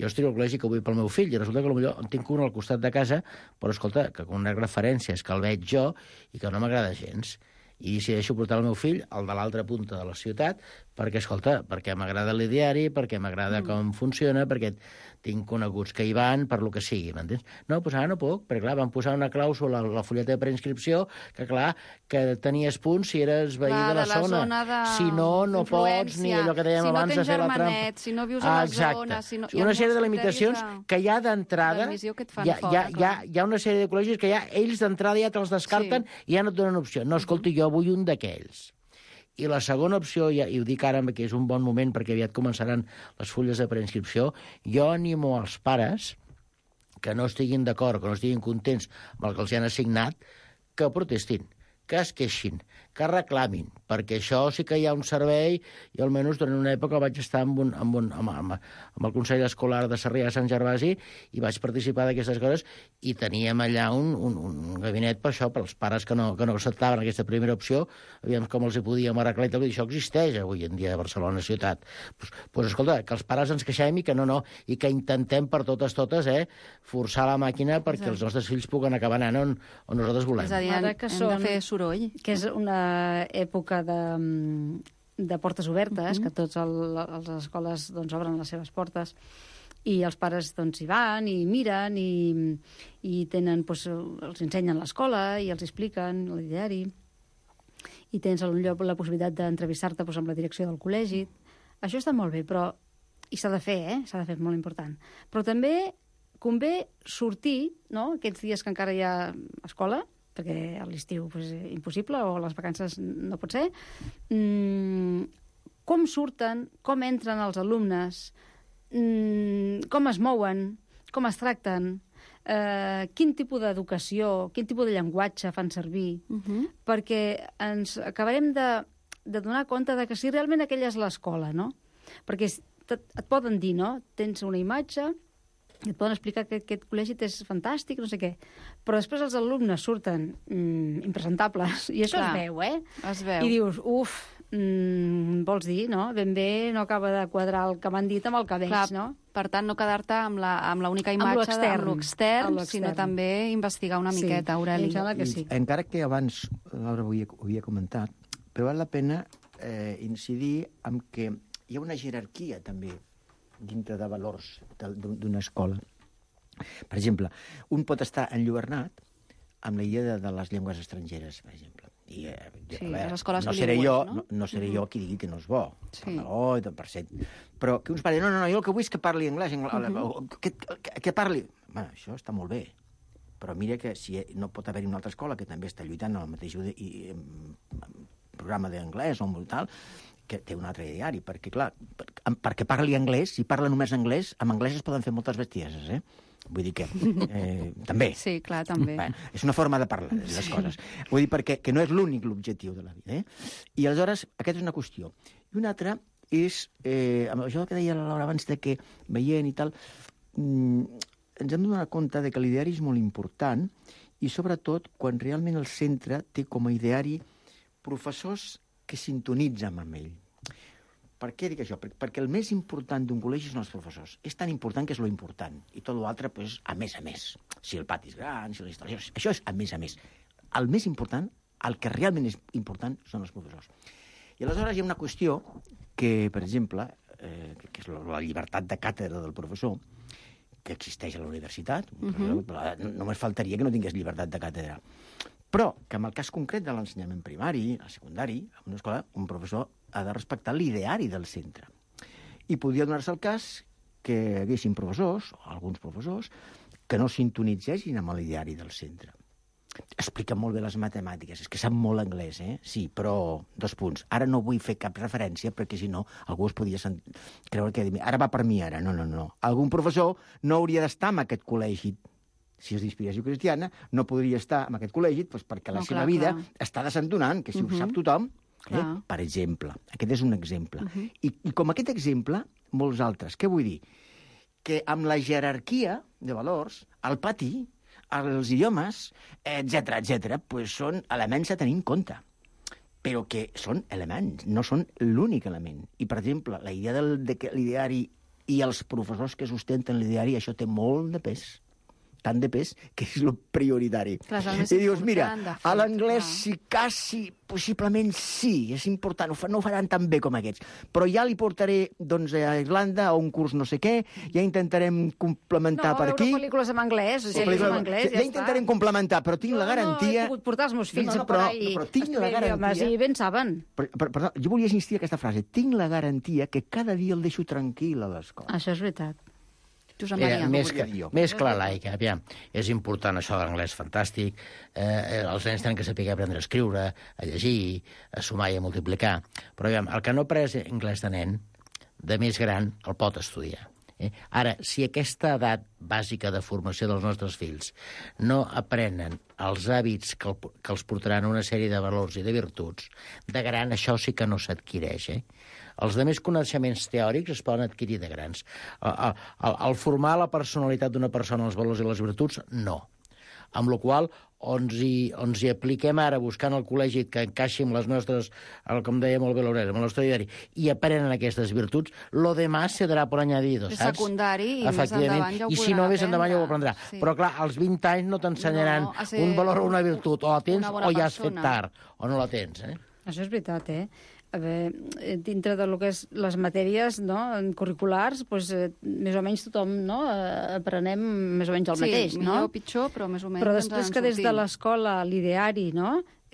estic al col·legi que vull pel meu fill i resulta que potser en tinc un al costat de casa, però escolta, que con unes referències que el veig jo i que no m'agrada gens. I decideixo portar el meu fill al de l'altra punta de la ciutat perquè, escolta, perquè m'agrada l'ideari, perquè m'agrada com funciona, perquè tinc coneguts que hi van, per lo que sigui, m'entens? No, doncs ara no puc, perquè, clar, van posar una clàusula a la fulleta de preinscripció que, clar, que tenies punts si eres veí de la zona. Si no pots, ni allò que dèiem abans de fer la trampa. Si no vius a la zona... Una sèrie de limitacions que ja d'entrada hi ha una sèrie de col·legis que ja ells d'entrada ja te'ls descarten i ja no et donen opció. No, escolti, jo vull un d'aquells. I la segona opció, i ho dic ara que és un bon moment perquè aviat començaran les fulles de preinscripció, jo animo als pares que no estiguin d'acord, que no estiguin contents amb el que els han assignat, que protestin, que es queixin, que reclamin, perquè això sí que hi ha un servei, i almenys durant una època vaig estar amb el Consell Escolar de Sarrià de Sant Gervasi i vaig participar d'aquestes coses i teníem allà un gabinet per això, pels pares que no acceptaven aquesta primera opció, aviam com els hi podíem arreglar i tal, i això existeix avui en dia a Barcelona ciutat. Doncs escolta, que els pares ens queixem i que no, i que intentem per totes, forçar la màquina perquè els nostres fills puguen acabar anant on nosaltres volem. És a dir, hem de fer soroll. Que és una època de portes obertes, que tots les escoles obren les seves portes i els pares hi van i miren i tenen, els ensenyen l'escola i els expliquen l'ideari i tens la possibilitat d'entrevistar-te amb la direcció del col·legi. Això està molt bé, però i s'ha de fer, s'ha de fer, molt important. Però també convé sortir, no?, aquests dies que encara hi ha escola, perquè a l'estiu impossible, o a les vacances no pot ser, com surten, com entren els alumnes, com es mouen, com es tracten, quin tipus d'educació, quin tipus de llenguatge fan servir, perquè ens acabarem de donar compte de que si realment aquella és l'escola, no? Perquè et poden dir, no?, tens una imatge, et poden explicar que aquest col·legi és fantàstic, no sé què. Però després els alumnes surten impresentables, i això es veu, Es veu. I dius, vols dir, no? Ben bé no acaba de quadrar el que m'han dit amb el que veig, no? Per tant, no quedar-te amb l'única imatge de l'extern, sinó també investigar una miqueta, Aureli. Em sembla que sí. Encara que abans Laura ho havia comentat, però val la pena incidir en que hi ha una jerarquia també dintre de valors d'una escola. Per exemple, un pot estar enlluernat amb la idea de les llengües estrangeres, per exemple. I, les escoles bilingües, no seré jo qui digui que no és bo. Però que uns pares, no, jo el que vull és que parli anglès, que parli... Bueno, això està molt bé, però mira que si no pot haver-hi una altra escola que també està lluitant en el mateix programa d'anglès o molt tal, que té un altre ideari, perquè, clar, perquè parli anglès, si parla només anglès, amb anglès es poden fer moltes bestieses, Vull dir que també. Sí, clar, també. Bé, és una forma de parlar de les coses. Vull dir perquè que no és l'únic l'objectiu de la vida, I aleshores, aquesta és una qüestió. I una altra és, això que deia la Laura abans de que veient i tal, ens hem de donar compte de que l'ideari és molt important i, sobretot, quan realment el centre té com a ideari professors que sintonitzen amb ell. Per què dic això? Perquè el més important d'un col·legi són els professors. És tan important que és lo important. I tot l'altre, pues, a més. Si el pati és gran, si la història... Això és a més. El més important, el que realment és important, són els professors. I aleshores hi ha una qüestió que, per exemple, que és la llibertat de càtedra del professor, que existeix a la universitat. Només faltaria que no tingués llibertat de càtedra. Però que en el cas concret de l'ensenyament primari, a secundari, en una escola, un professor ha de respectar l'ideari del centre. I podria donar-se el cas que hi haguessin professors, o alguns professors, que no sintonitzessin amb l'ideari del centre. Explica molt bé les matemàtiques, és que sap molt anglès, Sí, però, 2 punts. Ara no vull fer cap referència, perquè si no, algú es podria creure que ara va per mi, ara. No. Algun professor no hauria d'estar en aquest col·legi. Si és d'inspiració cristiana, no podria estar en aquest col·legi perquè la seva vida està desentonant, que si ho sap tothom, per exemple. Aquest és un exemple. I com aquest exemple, molts altres. Què vull dir? Que amb la jerarquia de valors, el pati, els idiomes, etc, són elements a tenir en compte. Però que són elements, no són l'únic element. I, per exemple, la idea de que l'ideari i els professors que sustenten l'ideari, això té molt de pes. Tant de pes que és el prioritari. Clar, I dius, mira, a l'anglès sí, quasi, possiblement sí, és important, no ho faran tan bé com aquests, però ja li portaré doncs, a Irlanda a un curs no sé què, ja intentarem complementar per aquí. No, pel·lícules en anglès, ja intentarem complementar, però tinc la garantia... No, he pogut portar els meus fills però tinc la garantia... I ben saben. Perdó, jo volia insistir en aquesta frase. Tinc la garantia que cada dia el deixo tranquil a l'escola. Això és veritat. Josep Maria. Més clar, laica. Aviam, és important això de l'anglès fantàstic. Els nens tenen que saber aprendre a escriure, a llegir, a sumar i a multiplicar. Però aviam, el que no ha après anglès de nen, de més gran, el pot estudiar. Ara, si aquesta edat bàsica de formació dels nostres fills no aprenen els hàbits que els portaran a una sèrie de valors i de virtuts, de gran això sí que no s'adquireix, Els de més coneixements teòrics es poden adquirir de grans. El formar la personalitat d'una persona, els valors i les virtuts, no. Amb la qual cosa, ens hi apliquem ara buscant el col·legi que encaixi amb les nostres, com deia molt bé l'Aureli, amb el nostre diari, i aprenen aquestes virtuts, lo demás se darà por añadido, saps? És secundari i més endavant ja ho podran aprendre. I si no, més endavant ja ho aprendrà. Sí. Però clar, als 20 anys no t'ensenyaran un valor o una virtut, o la tens o ja has fet tard, o no la tens, Això és veritat, A veure, dintre de lo que és les matèries curriculars, doncs, més o menys tothom aprenem més o menys el mateix. Sí, millor o pitjor, però més o menys però després que des de l'escola l'ideari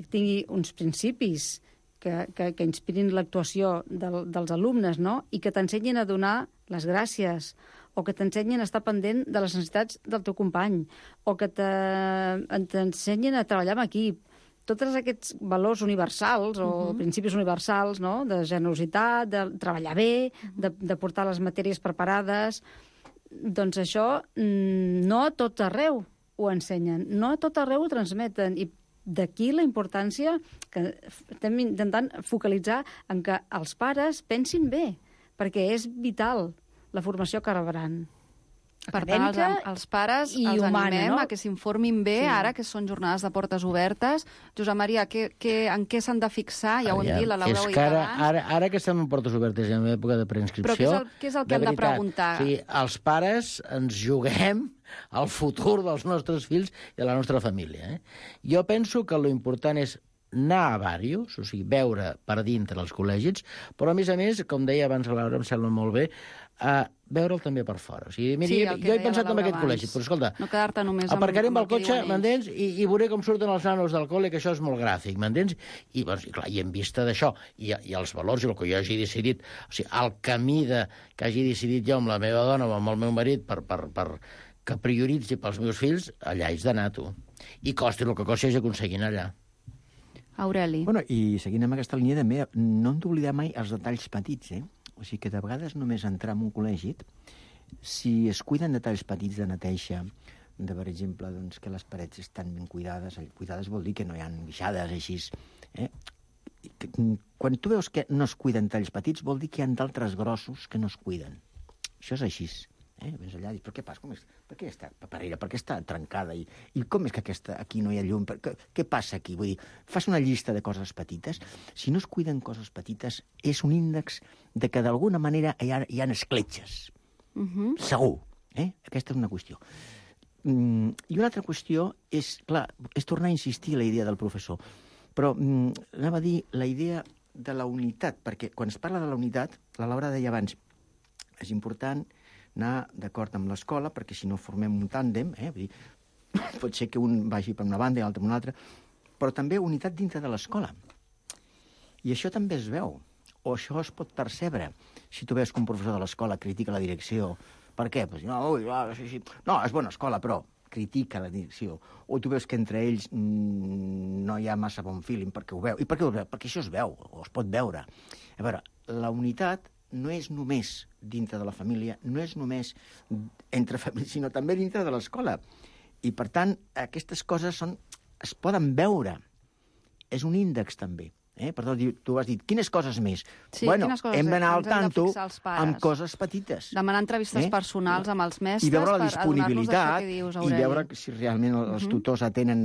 tingui uns principis que inspirin l'actuació dels alumnes i que t'ensenyin a donar les gràcies o que t'ensenyin a estar pendent de les necessitats del teu company o que t'ensenyin a treballar en equip. Tots aquests valors universals o principis universals, de generositat, de treballar bé, de portar les matèries preparades, doncs això no a tot arreu ho ensenyen, no a tot arreu ho transmeten. I d'aquí la importància que estem intentant focalitzar en que els pares pensin bé, perquè és vital la formació que rebran. Per tant, els pares els animem a que s'informin bé, ara que són jornades de portes obertes. Josep Maria, en què s'han de fixar? Ja ho hem dit, la Laura ho ha dit abans. Ara que estem en portes obertes i en època de preinscripció... Però què és el que hem de preguntar? Sí, els pares ens juguem el futur dels nostres fills i de la nostra família. Jo penso que l'important és anar a diversos, o sigui, veure per dintre els col·legis, però a més, com deia abans la Laura, em sembla molt bé, veure'l també per fora. O sigui, mira, jo he pensat en aquest col·legi, però escolta, no quedar-te només aparcarem el cotxe, m'entens? I veuré com surten els nanos del col·le, que això és molt gràfic, m'entens? I en vista d'això, i els valors, i el que jo hagi decidit, o sigui, el camí que hagi decidit jo amb la meva dona o amb el meu marit per que prioritzi pels meus fills, allà haig d'anar, tu. I costi el que costi, haig d'aconseguir allà. Aureli. Bueno, i seguint amb aquesta línia també, no hem d'oblidar mai els detalls petits, O sigui que de vegades només entrar en un col·legi, si es cuiden detalls petits de neteja, per exemple, doncs, que les parets estan ben cuidades, cuidades vol dir que no hi ha guixades així, Quan tu veus que no es cuiden detalls petits, vol dir que hi ha d'altres grossos que no es cuiden. Això és així. Vens allà i dius, però què passa? Per què està paperera? Per què està trencada? I com és que aquí no hi ha llum? Què passa aquí? Vull dir, fas una llista de coses petites. Si no es cuiden coses petites, és un índex de que d'alguna manera hi ha escletxes. Segur. Aquesta és una qüestió. I una altra qüestió és, clar, és tornar a insistir en la idea del professor. Però anava a dir la idea de la unitat, perquè quan es parla de la unitat, la Laura deia abans, És important anar d'acord amb l'escola, perquè si no formem un tàndem, vull dir, pot ser que un vagi per una banda i l'altre per una altra, però també unitat dintre de l'escola. I això també es veu, o això es pot percebre. Si tu veus que un professor de l'escola critica la direcció, per què? Pues, no, és bona escola, però critica la direcció. O tu veus que entre ells no hi ha massa bon feeling, perquè ho veu. I per què ho veu? Perquè això es veu, o es pot veure. A veure, la unitat no és només dintre de la família, no és només entre famílies, sinó també dintre de l'escola. I, per tant, aquestes coses es poden veure. És un índex, també. Perdó, tu has dit, quines coses més? Sí, bueno, quines coses hem d'anar al tanto amb pares. coses petites. Demanar entrevistes personals amb els mestres i veure la per disponibilitat, adonar-nos d'això que dius, Aureli. i veure si realment els tutors atenen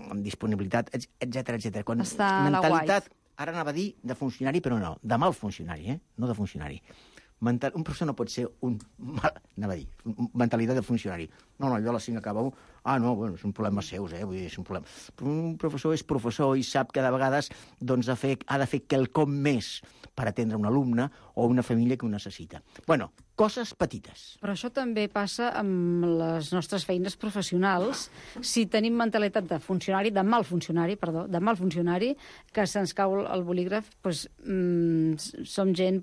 amb disponibilitat, etc. Quan està a la mentalitat, ara anava a dir de funcionari, però no, de mal funcionari, no de funcionari. Un professor no pot ser mentalitat de funcionari. No, jo a les 5 acabo... no, bueno, és un problema seus, vull dir, és un problema. Però un professor és professor i sap que de vegades doncs, ha de fer quelcom més per atendre un alumne o una família que ho necessita. Bueno, coses petites. Però això també passa amb les nostres feines professionals. Si tenim mentalitat de funcionari, de mal funcionari, que se'ns cau el bolígraf, doncs, som gent,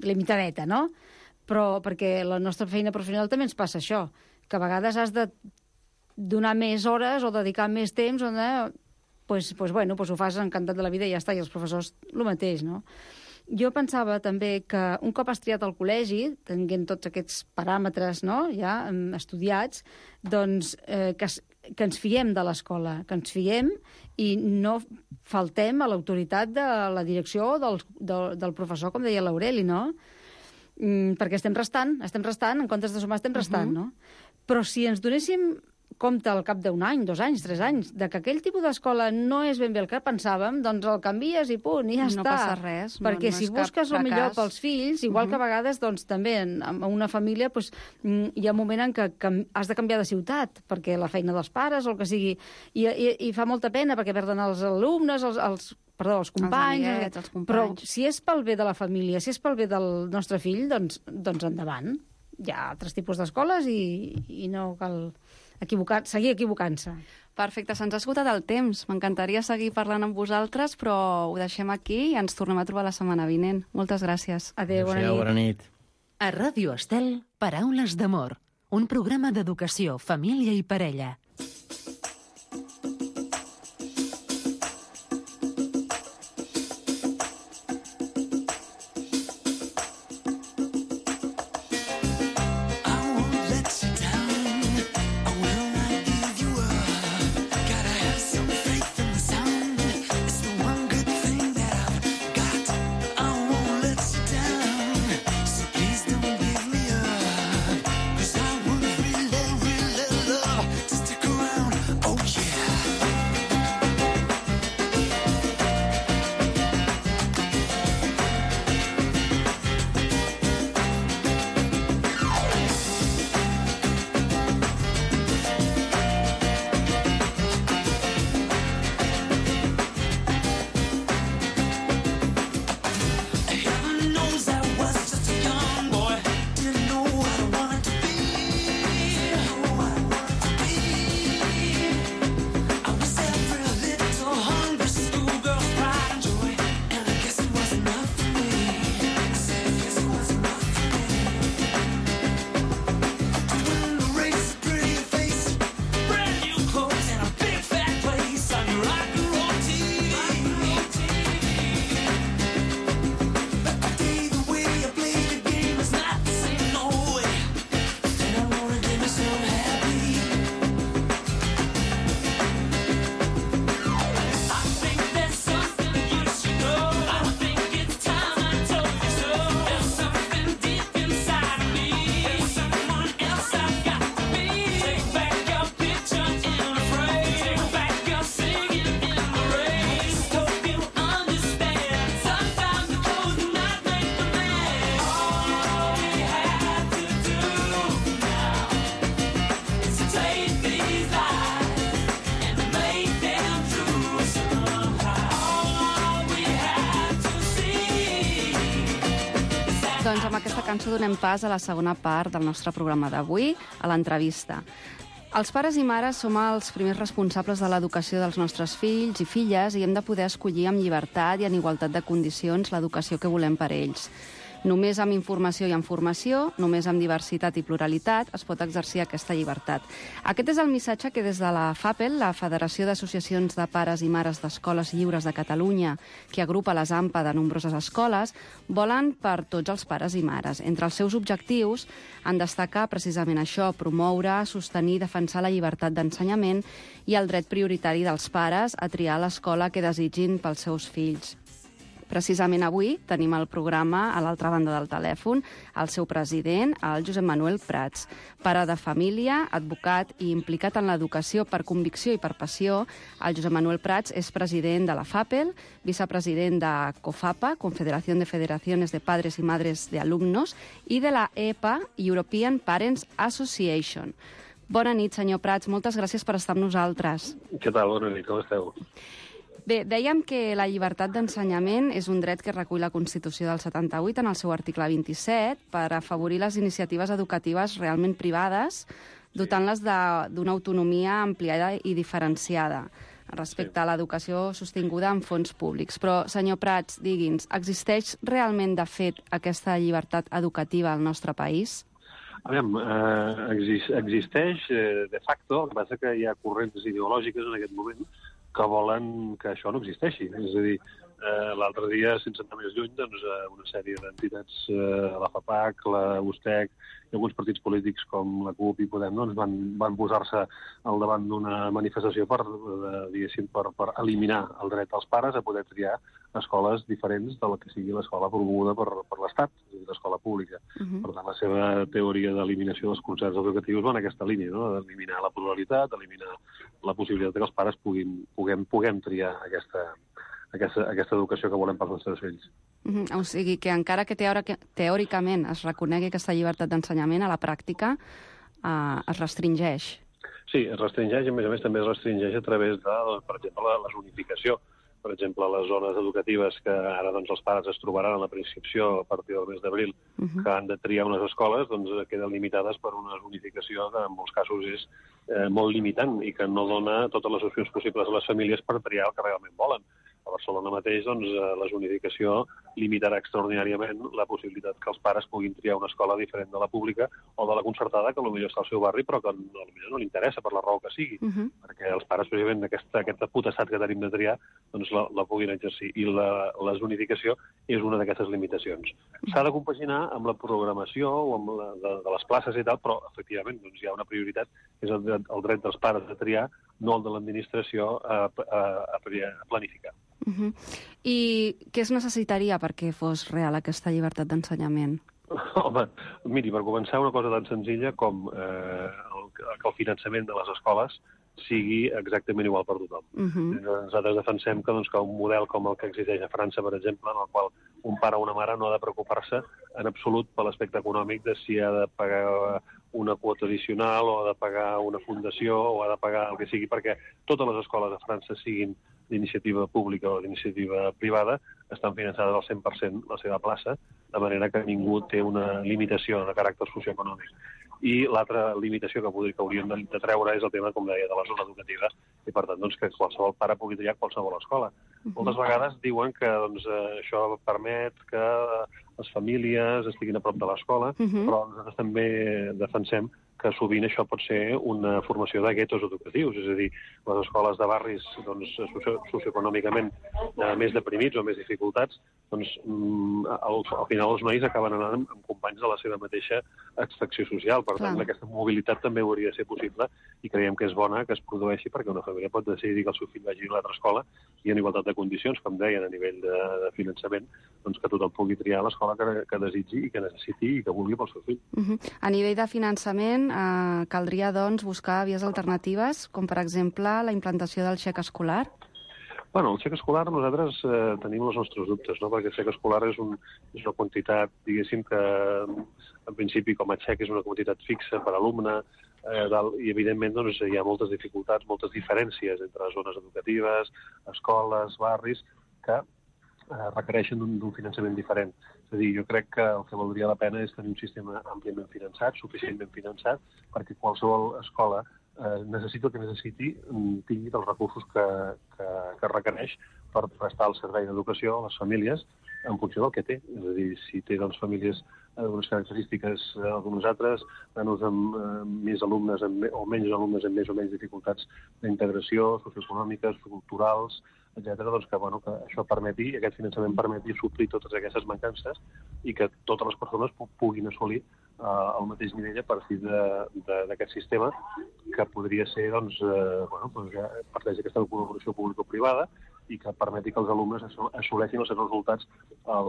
limitadeta, no? Però perquè la nostra feina professional també ens passa això, que a vegades has de donar més hores o dedicar més temps, ho fas encantat de la vida i ja està, i els professors el mateix, no? Jo pensava també que un cop has triat el col·legi, tenint tots aquests paràmetres, no?, ja estudiats, doncs que ens fiem de l'escola, que ens fiem i no faltem a l'autoritat de la direcció del professor, com deia l'Aureli, no? Perquè estem restant, en comptes de sumar estem restant, no? Però si ens donéssim compte al cap d'un any, 2 anys, 3 anys, de que aquell tipus d'escola no és ben bé el que pensàvem, doncs el canvies i punt, i ja està. No passa res. Perquè si busques el millor pels fills, igual que a vegades doncs, també en una família hi ha un moment en què has de canviar de ciutat, perquè la feina dels pares o el que sigui, i fa molta pena perquè perden els alumnes, els companys, els companys. Però si és pel bé de la família, si és pel bé del nostre fill, doncs endavant. Hi ha altres tipus d'escoles i no cal seguir equivocant-se. Perfecte, se'ns ha esgotat el temps. M'encantaria seguir parlant amb vosaltres, però ho deixem aquí i ens tornem a trobar la setmana vinent. Moltes gràcies. Adéu, bona nit. A Ràdio Estel, Paraules d'amor, un programa d'educació, família i parella. Just to cançó donem pas a la segona part del nostre programa d'avui, a l'entrevista. Els pares i mares som els primers responsables de l'educació dels nostres fills i filles i hem de poder escollir amb llibertat i en igualtat de condicions l'educació que volem per ells. Només amb informació i amb formació, només amb diversitat i pluralitat, es pot exercir aquesta llibertat. Aquest és el missatge que des de la FAPEL, la Federació d'Associacions de Pares i Mares d'Escoles Lliures de Catalunya, que agrupa les AMPA de nombroses escoles, volen per tots els pares i mares. Entre els seus objectius han destacar precisament això, promoure, sostenir i defensar la llibertat d'ensenyament i el dret prioritari dels pares a triar l'escola que desitgin pels seus fills. Precisament avui tenim al programa, a l'altra banda del telèfon, el seu president, el Josep Manuel Prats. Pare de família, advocat i implicat en l'educació per convicció i per passió, el Josep Manuel Prats és president de la FAPEL, vicepresident de COFAPA, Confederación de Federaciones de Padres y Madres de Alumnos, i de la EPA, European Parents Association. Bona nit, senyor Prats. Moltes gràcies per estar amb nosaltres. Què tal? Bona nit, com esteu? Bé, dèiem que la llibertat d'ensenyament és un dret que recull la Constitució del 78 en el seu article 27 per afavorir les iniciatives educatives realment privades, dotant-les d'una autonomia ampliada i diferenciada respecte a l'educació sostinguda amb fons públics. Però, senyor Prats, digui'ns, existeix realment de fet aquesta llibertat educativa al nostre país? Aviam, existeix de facto, el que passa que hi ha corrents ideològiques en aquest moment que volen que això no existeixi. És a dir, l'altre dia, sense anar més lluny, doncs, una sèrie d'entitats, la FAPAC, la USTEC i alguns partits polítics com la CUP i Podem doncs, van posar-se al davant d'una manifestació per eliminar el dret dels pares a poder triar escoles diferents de la que sigui l'escola promoguda per l'Estat, és a dir, l'escola pública. Per tant, la seva teoria d'eliminació dels concerts educatius va en aquesta línia, no? D'eliminar la pluralitat, eliminar la possibilitat que els pares puguem triar aquesta educació que volem pels nostres fills. O sigui que encara que teòricament es reconegui aquesta llibertat d'ensenyament, a la pràctica es restringeix. Sí, es restringeix, i a més també es restringeix a través de, per exemple, la zonificació. Per exemple, les zones educatives que ara els pares es trobaran a la preinscripció a partir del mes d'abril, que han de triar unes escoles, doncs queden limitades per una zonificació que en molts casos és molt limitant i que no dona totes les opcions possibles a les famílies per triar el que realment volen. A Barcelona mateix, la zonificació limitarà extraordinàriament la possibilitat que els pares puguin triar una escola diferent de la pública o de la concertada, que potser està al seu barri, però que potser no li interessa per la raó que sigui, perquè els pares, precisament, aquesta potestat que tenim de triar, doncs la puguin exercir. I la zonificació és una d'aquestes limitacions. S'ha de compaginar amb la programació o amb de les places i tal, però, efectivament, hi ha una prioritat, és el dret dels pares de triar, no el de l'administració a planificar. I què es necessitaria perquè fos real aquesta llibertat d'ensenyament? Home, miri, per començar, una cosa tan senzilla com que el finançament de les escoles sigui exactament igual per tothom. Nosaltres defensem que un model com el que existeix a França, per exemple, en el qual un pare o una mare no ha de preocupar-se en absolut per l'aspecte econòmic de si ha de pagar una quota addicional o ha de pagar una fundació o ha de pagar el que sigui, perquè totes les escoles a França, siguin d'iniciativa pública o d'iniciativa privada, estan finançades al 100% la seva plaça, de manera que ningú té una limitació de caràcter socioeconòmic. I l'altra limitació que hauríem de treure és el tema, com deia, de la zona educativa, i per tant que qualsevol pare pugui triar qualsevol escola. Moltes vegades diuen que això permet que les famílies estiguin a prop de l'escola, però nosaltres també defensem que sovint això pot ser una formació de guetos educatius, és a dir, les escoles de barris socioeconòmicament més deprimits o més dificultats, al final els nois acaben anant amb companys de la seva mateixa extracció social. Per tant, aquesta mobilitat també hauria de ser possible i creiem que és bona que es produeixi perquè una família pot decidir que el seu fill vagi a una altra escola i en igualtat de condicions, com deien, a nivell de finançament, que tothom pugui triar l'escola que desitgi i que necessiti i que vulgui pel seu fill. A nivell de finançament, caldria, doncs, buscar vies alternatives, com, per exemple, la implantació del xec escolar? Bueno, el xec escolar nosaltres tenim els nostres dubtes, no? Perquè el xec escolar és una quantitat, diguéssim, que en principi com a xec és una quantitat fixa per alumne, i evidentment hi ha moltes dificultats, moltes diferències entre zones educatives, escoles, barris, que requereixen d'un finançament diferent. És a dir, jo crec que el que valdria la pena és tenir un sistema àmpliament finançat, suficientment finançat, perquè qualsevol escola necessiti el que necessiti, tingui els recursos que requereix per prestar el servei d'educació a les famílies en funció del que té. És a dir, si té famílies d'unes característiques d'unes altres, nanos amb més alumnes o menys alumnes amb més o menys dificultats d'integració, socioeconòmiques, culturals, etc., doncs que això permeti, aquest finançament permeti suplir totes aquestes mancances i que totes les persones puguin assolir el mateix nivell a partir d'aquest sistema que podria ser, ja parteix d'aquesta col·laboració público-privada i que permeti que els alumnes assoleixin els seus resultats a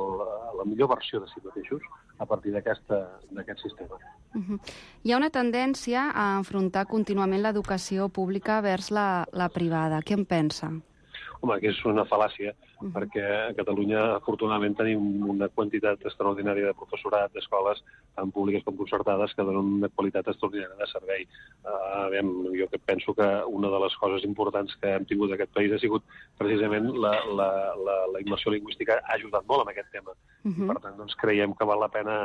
la millor versió de si mateixos a partir d'aquest sistema. Hi ha una tendència a enfrontar contínuament l'educació pública vers la privada. Què en pensa? Home, que és una fal·làcia, perquè a Catalunya, afortunadament, tenim una quantitat extraordinària de professorat d'escoles, tant públiques com concertades, que donen una qualitat extraordinària de servei. Jo penso que una de les coses importants que hem tingut en aquest país ha sigut precisament la immersió lingüística ha ajudat molt en aquest tema. Per tant, doncs, creiem que val la pena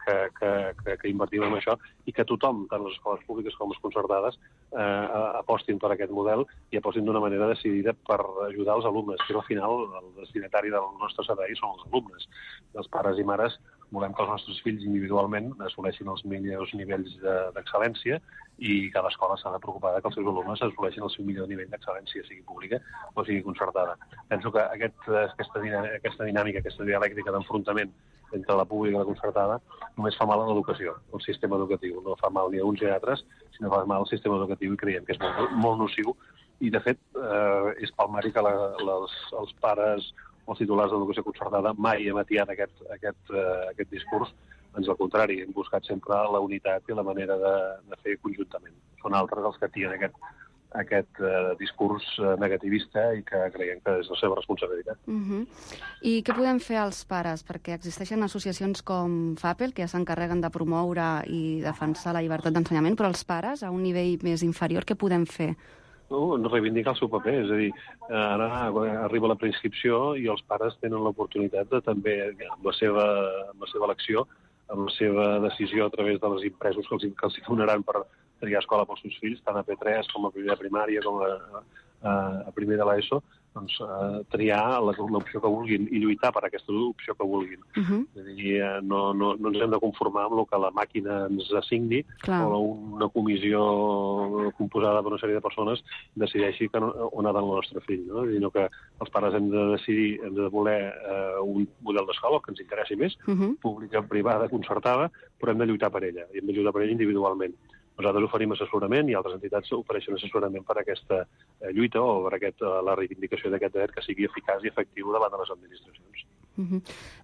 que invertim en això i que tothom, tant les escoles públiques com les concertades, apostin per aquest model i apostin d'una manera decidida per ajudar els alumnes, que al final el destinatari del nostre servei són els alumnes. Els pares i mares volem que els nostres fills individualment assoleixin els millors nivells d'excel·lència i cada escola s'ha de preocupar que els seus alumnes assoleixin el seu millor nivell d'excel·lència, sigui pública o sigui concertada. Penso que aquesta dinàmica, aquesta dialèctica d'enfrontament entre la pública i la concertada només fa mal a l'educació, al sistema educatiu. No fa mal ni a uns ni a altres, sinó fa mal al sistema educatiu i creiem que és molt nociu. I, de fet, és palmari que els pares o els titulars d'educació concertada mai hem atiat aquest discurs. Ans al contrari, hem buscat sempre la unitat i la manera de fer conjuntament. Són altres els que atien aquest discurs negativista i que creiem que és la seva responsabilitat. I què podem fer els pares? Perquè existeixen associacions com FAPEL, que ja s'encarreguen de promoure i defensar la llibertat d'ensenyament, però els pares, a un nivell més inferior, què podem fer? Reivindicar el seu paper, és a dir, ara arriba la preinscripció i els pares tenen l'oportunitat de també, amb la seva elecció, amb la seva decisió a través de les impresos que els donaran per triar escola pels seus fills, tant a P3 com a primer de primària com a primer de l'ESO, doncs triar l'opció que vulguin i lluitar per aquesta opció que vulguin. És a dir, no ens hem de conformar amb el que la màquina ens assigni o una comissió composada per una sèrie de persones decideixi on ha d'anar el nostre fill, sinó que els pares hem de decidir, hem de voler un model d'escola que ens interessi més, pública, privada, concertada, però hem de lluitar per ella, i hem de lluitar per ella individualment. Nosaltres oferim assessorament i altres entitats ofereixen assessorament per a aquesta lluita o per la reivindicació d'aquest dret que sigui eficaç i efectiu davant de les administracions.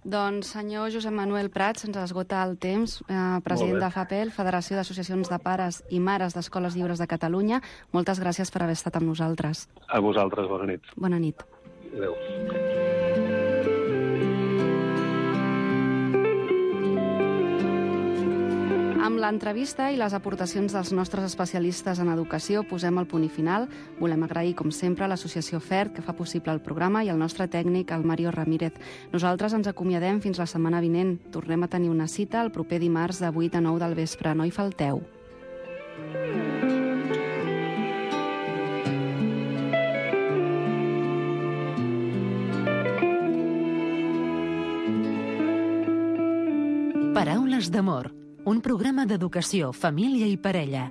Doncs, senyor Josep Manuel Prats, ens esgota el temps, president de FAPEL, Federació d'Associacions de Pares i Mares d'Escoles Lliures de Catalunya. Moltes gràcies per haver estat amb nosaltres. A vosaltres, bona nit. Bona nit. Adéu. Amb l'entrevista i les aportacions dels nostres especialistes en educació posem el punt i final. Volem agrair, com sempre, a l'associació FERT, que fa possible el programa, i al nostre tècnic, el Mario Ramírez. Nosaltres ens acomiadem fins la setmana vinent. Tornem a tenir una cita el proper dimarts de 8 a 9 del vespre. No hi falteu. Paraules d'amor, un programa d'educació, família i parella.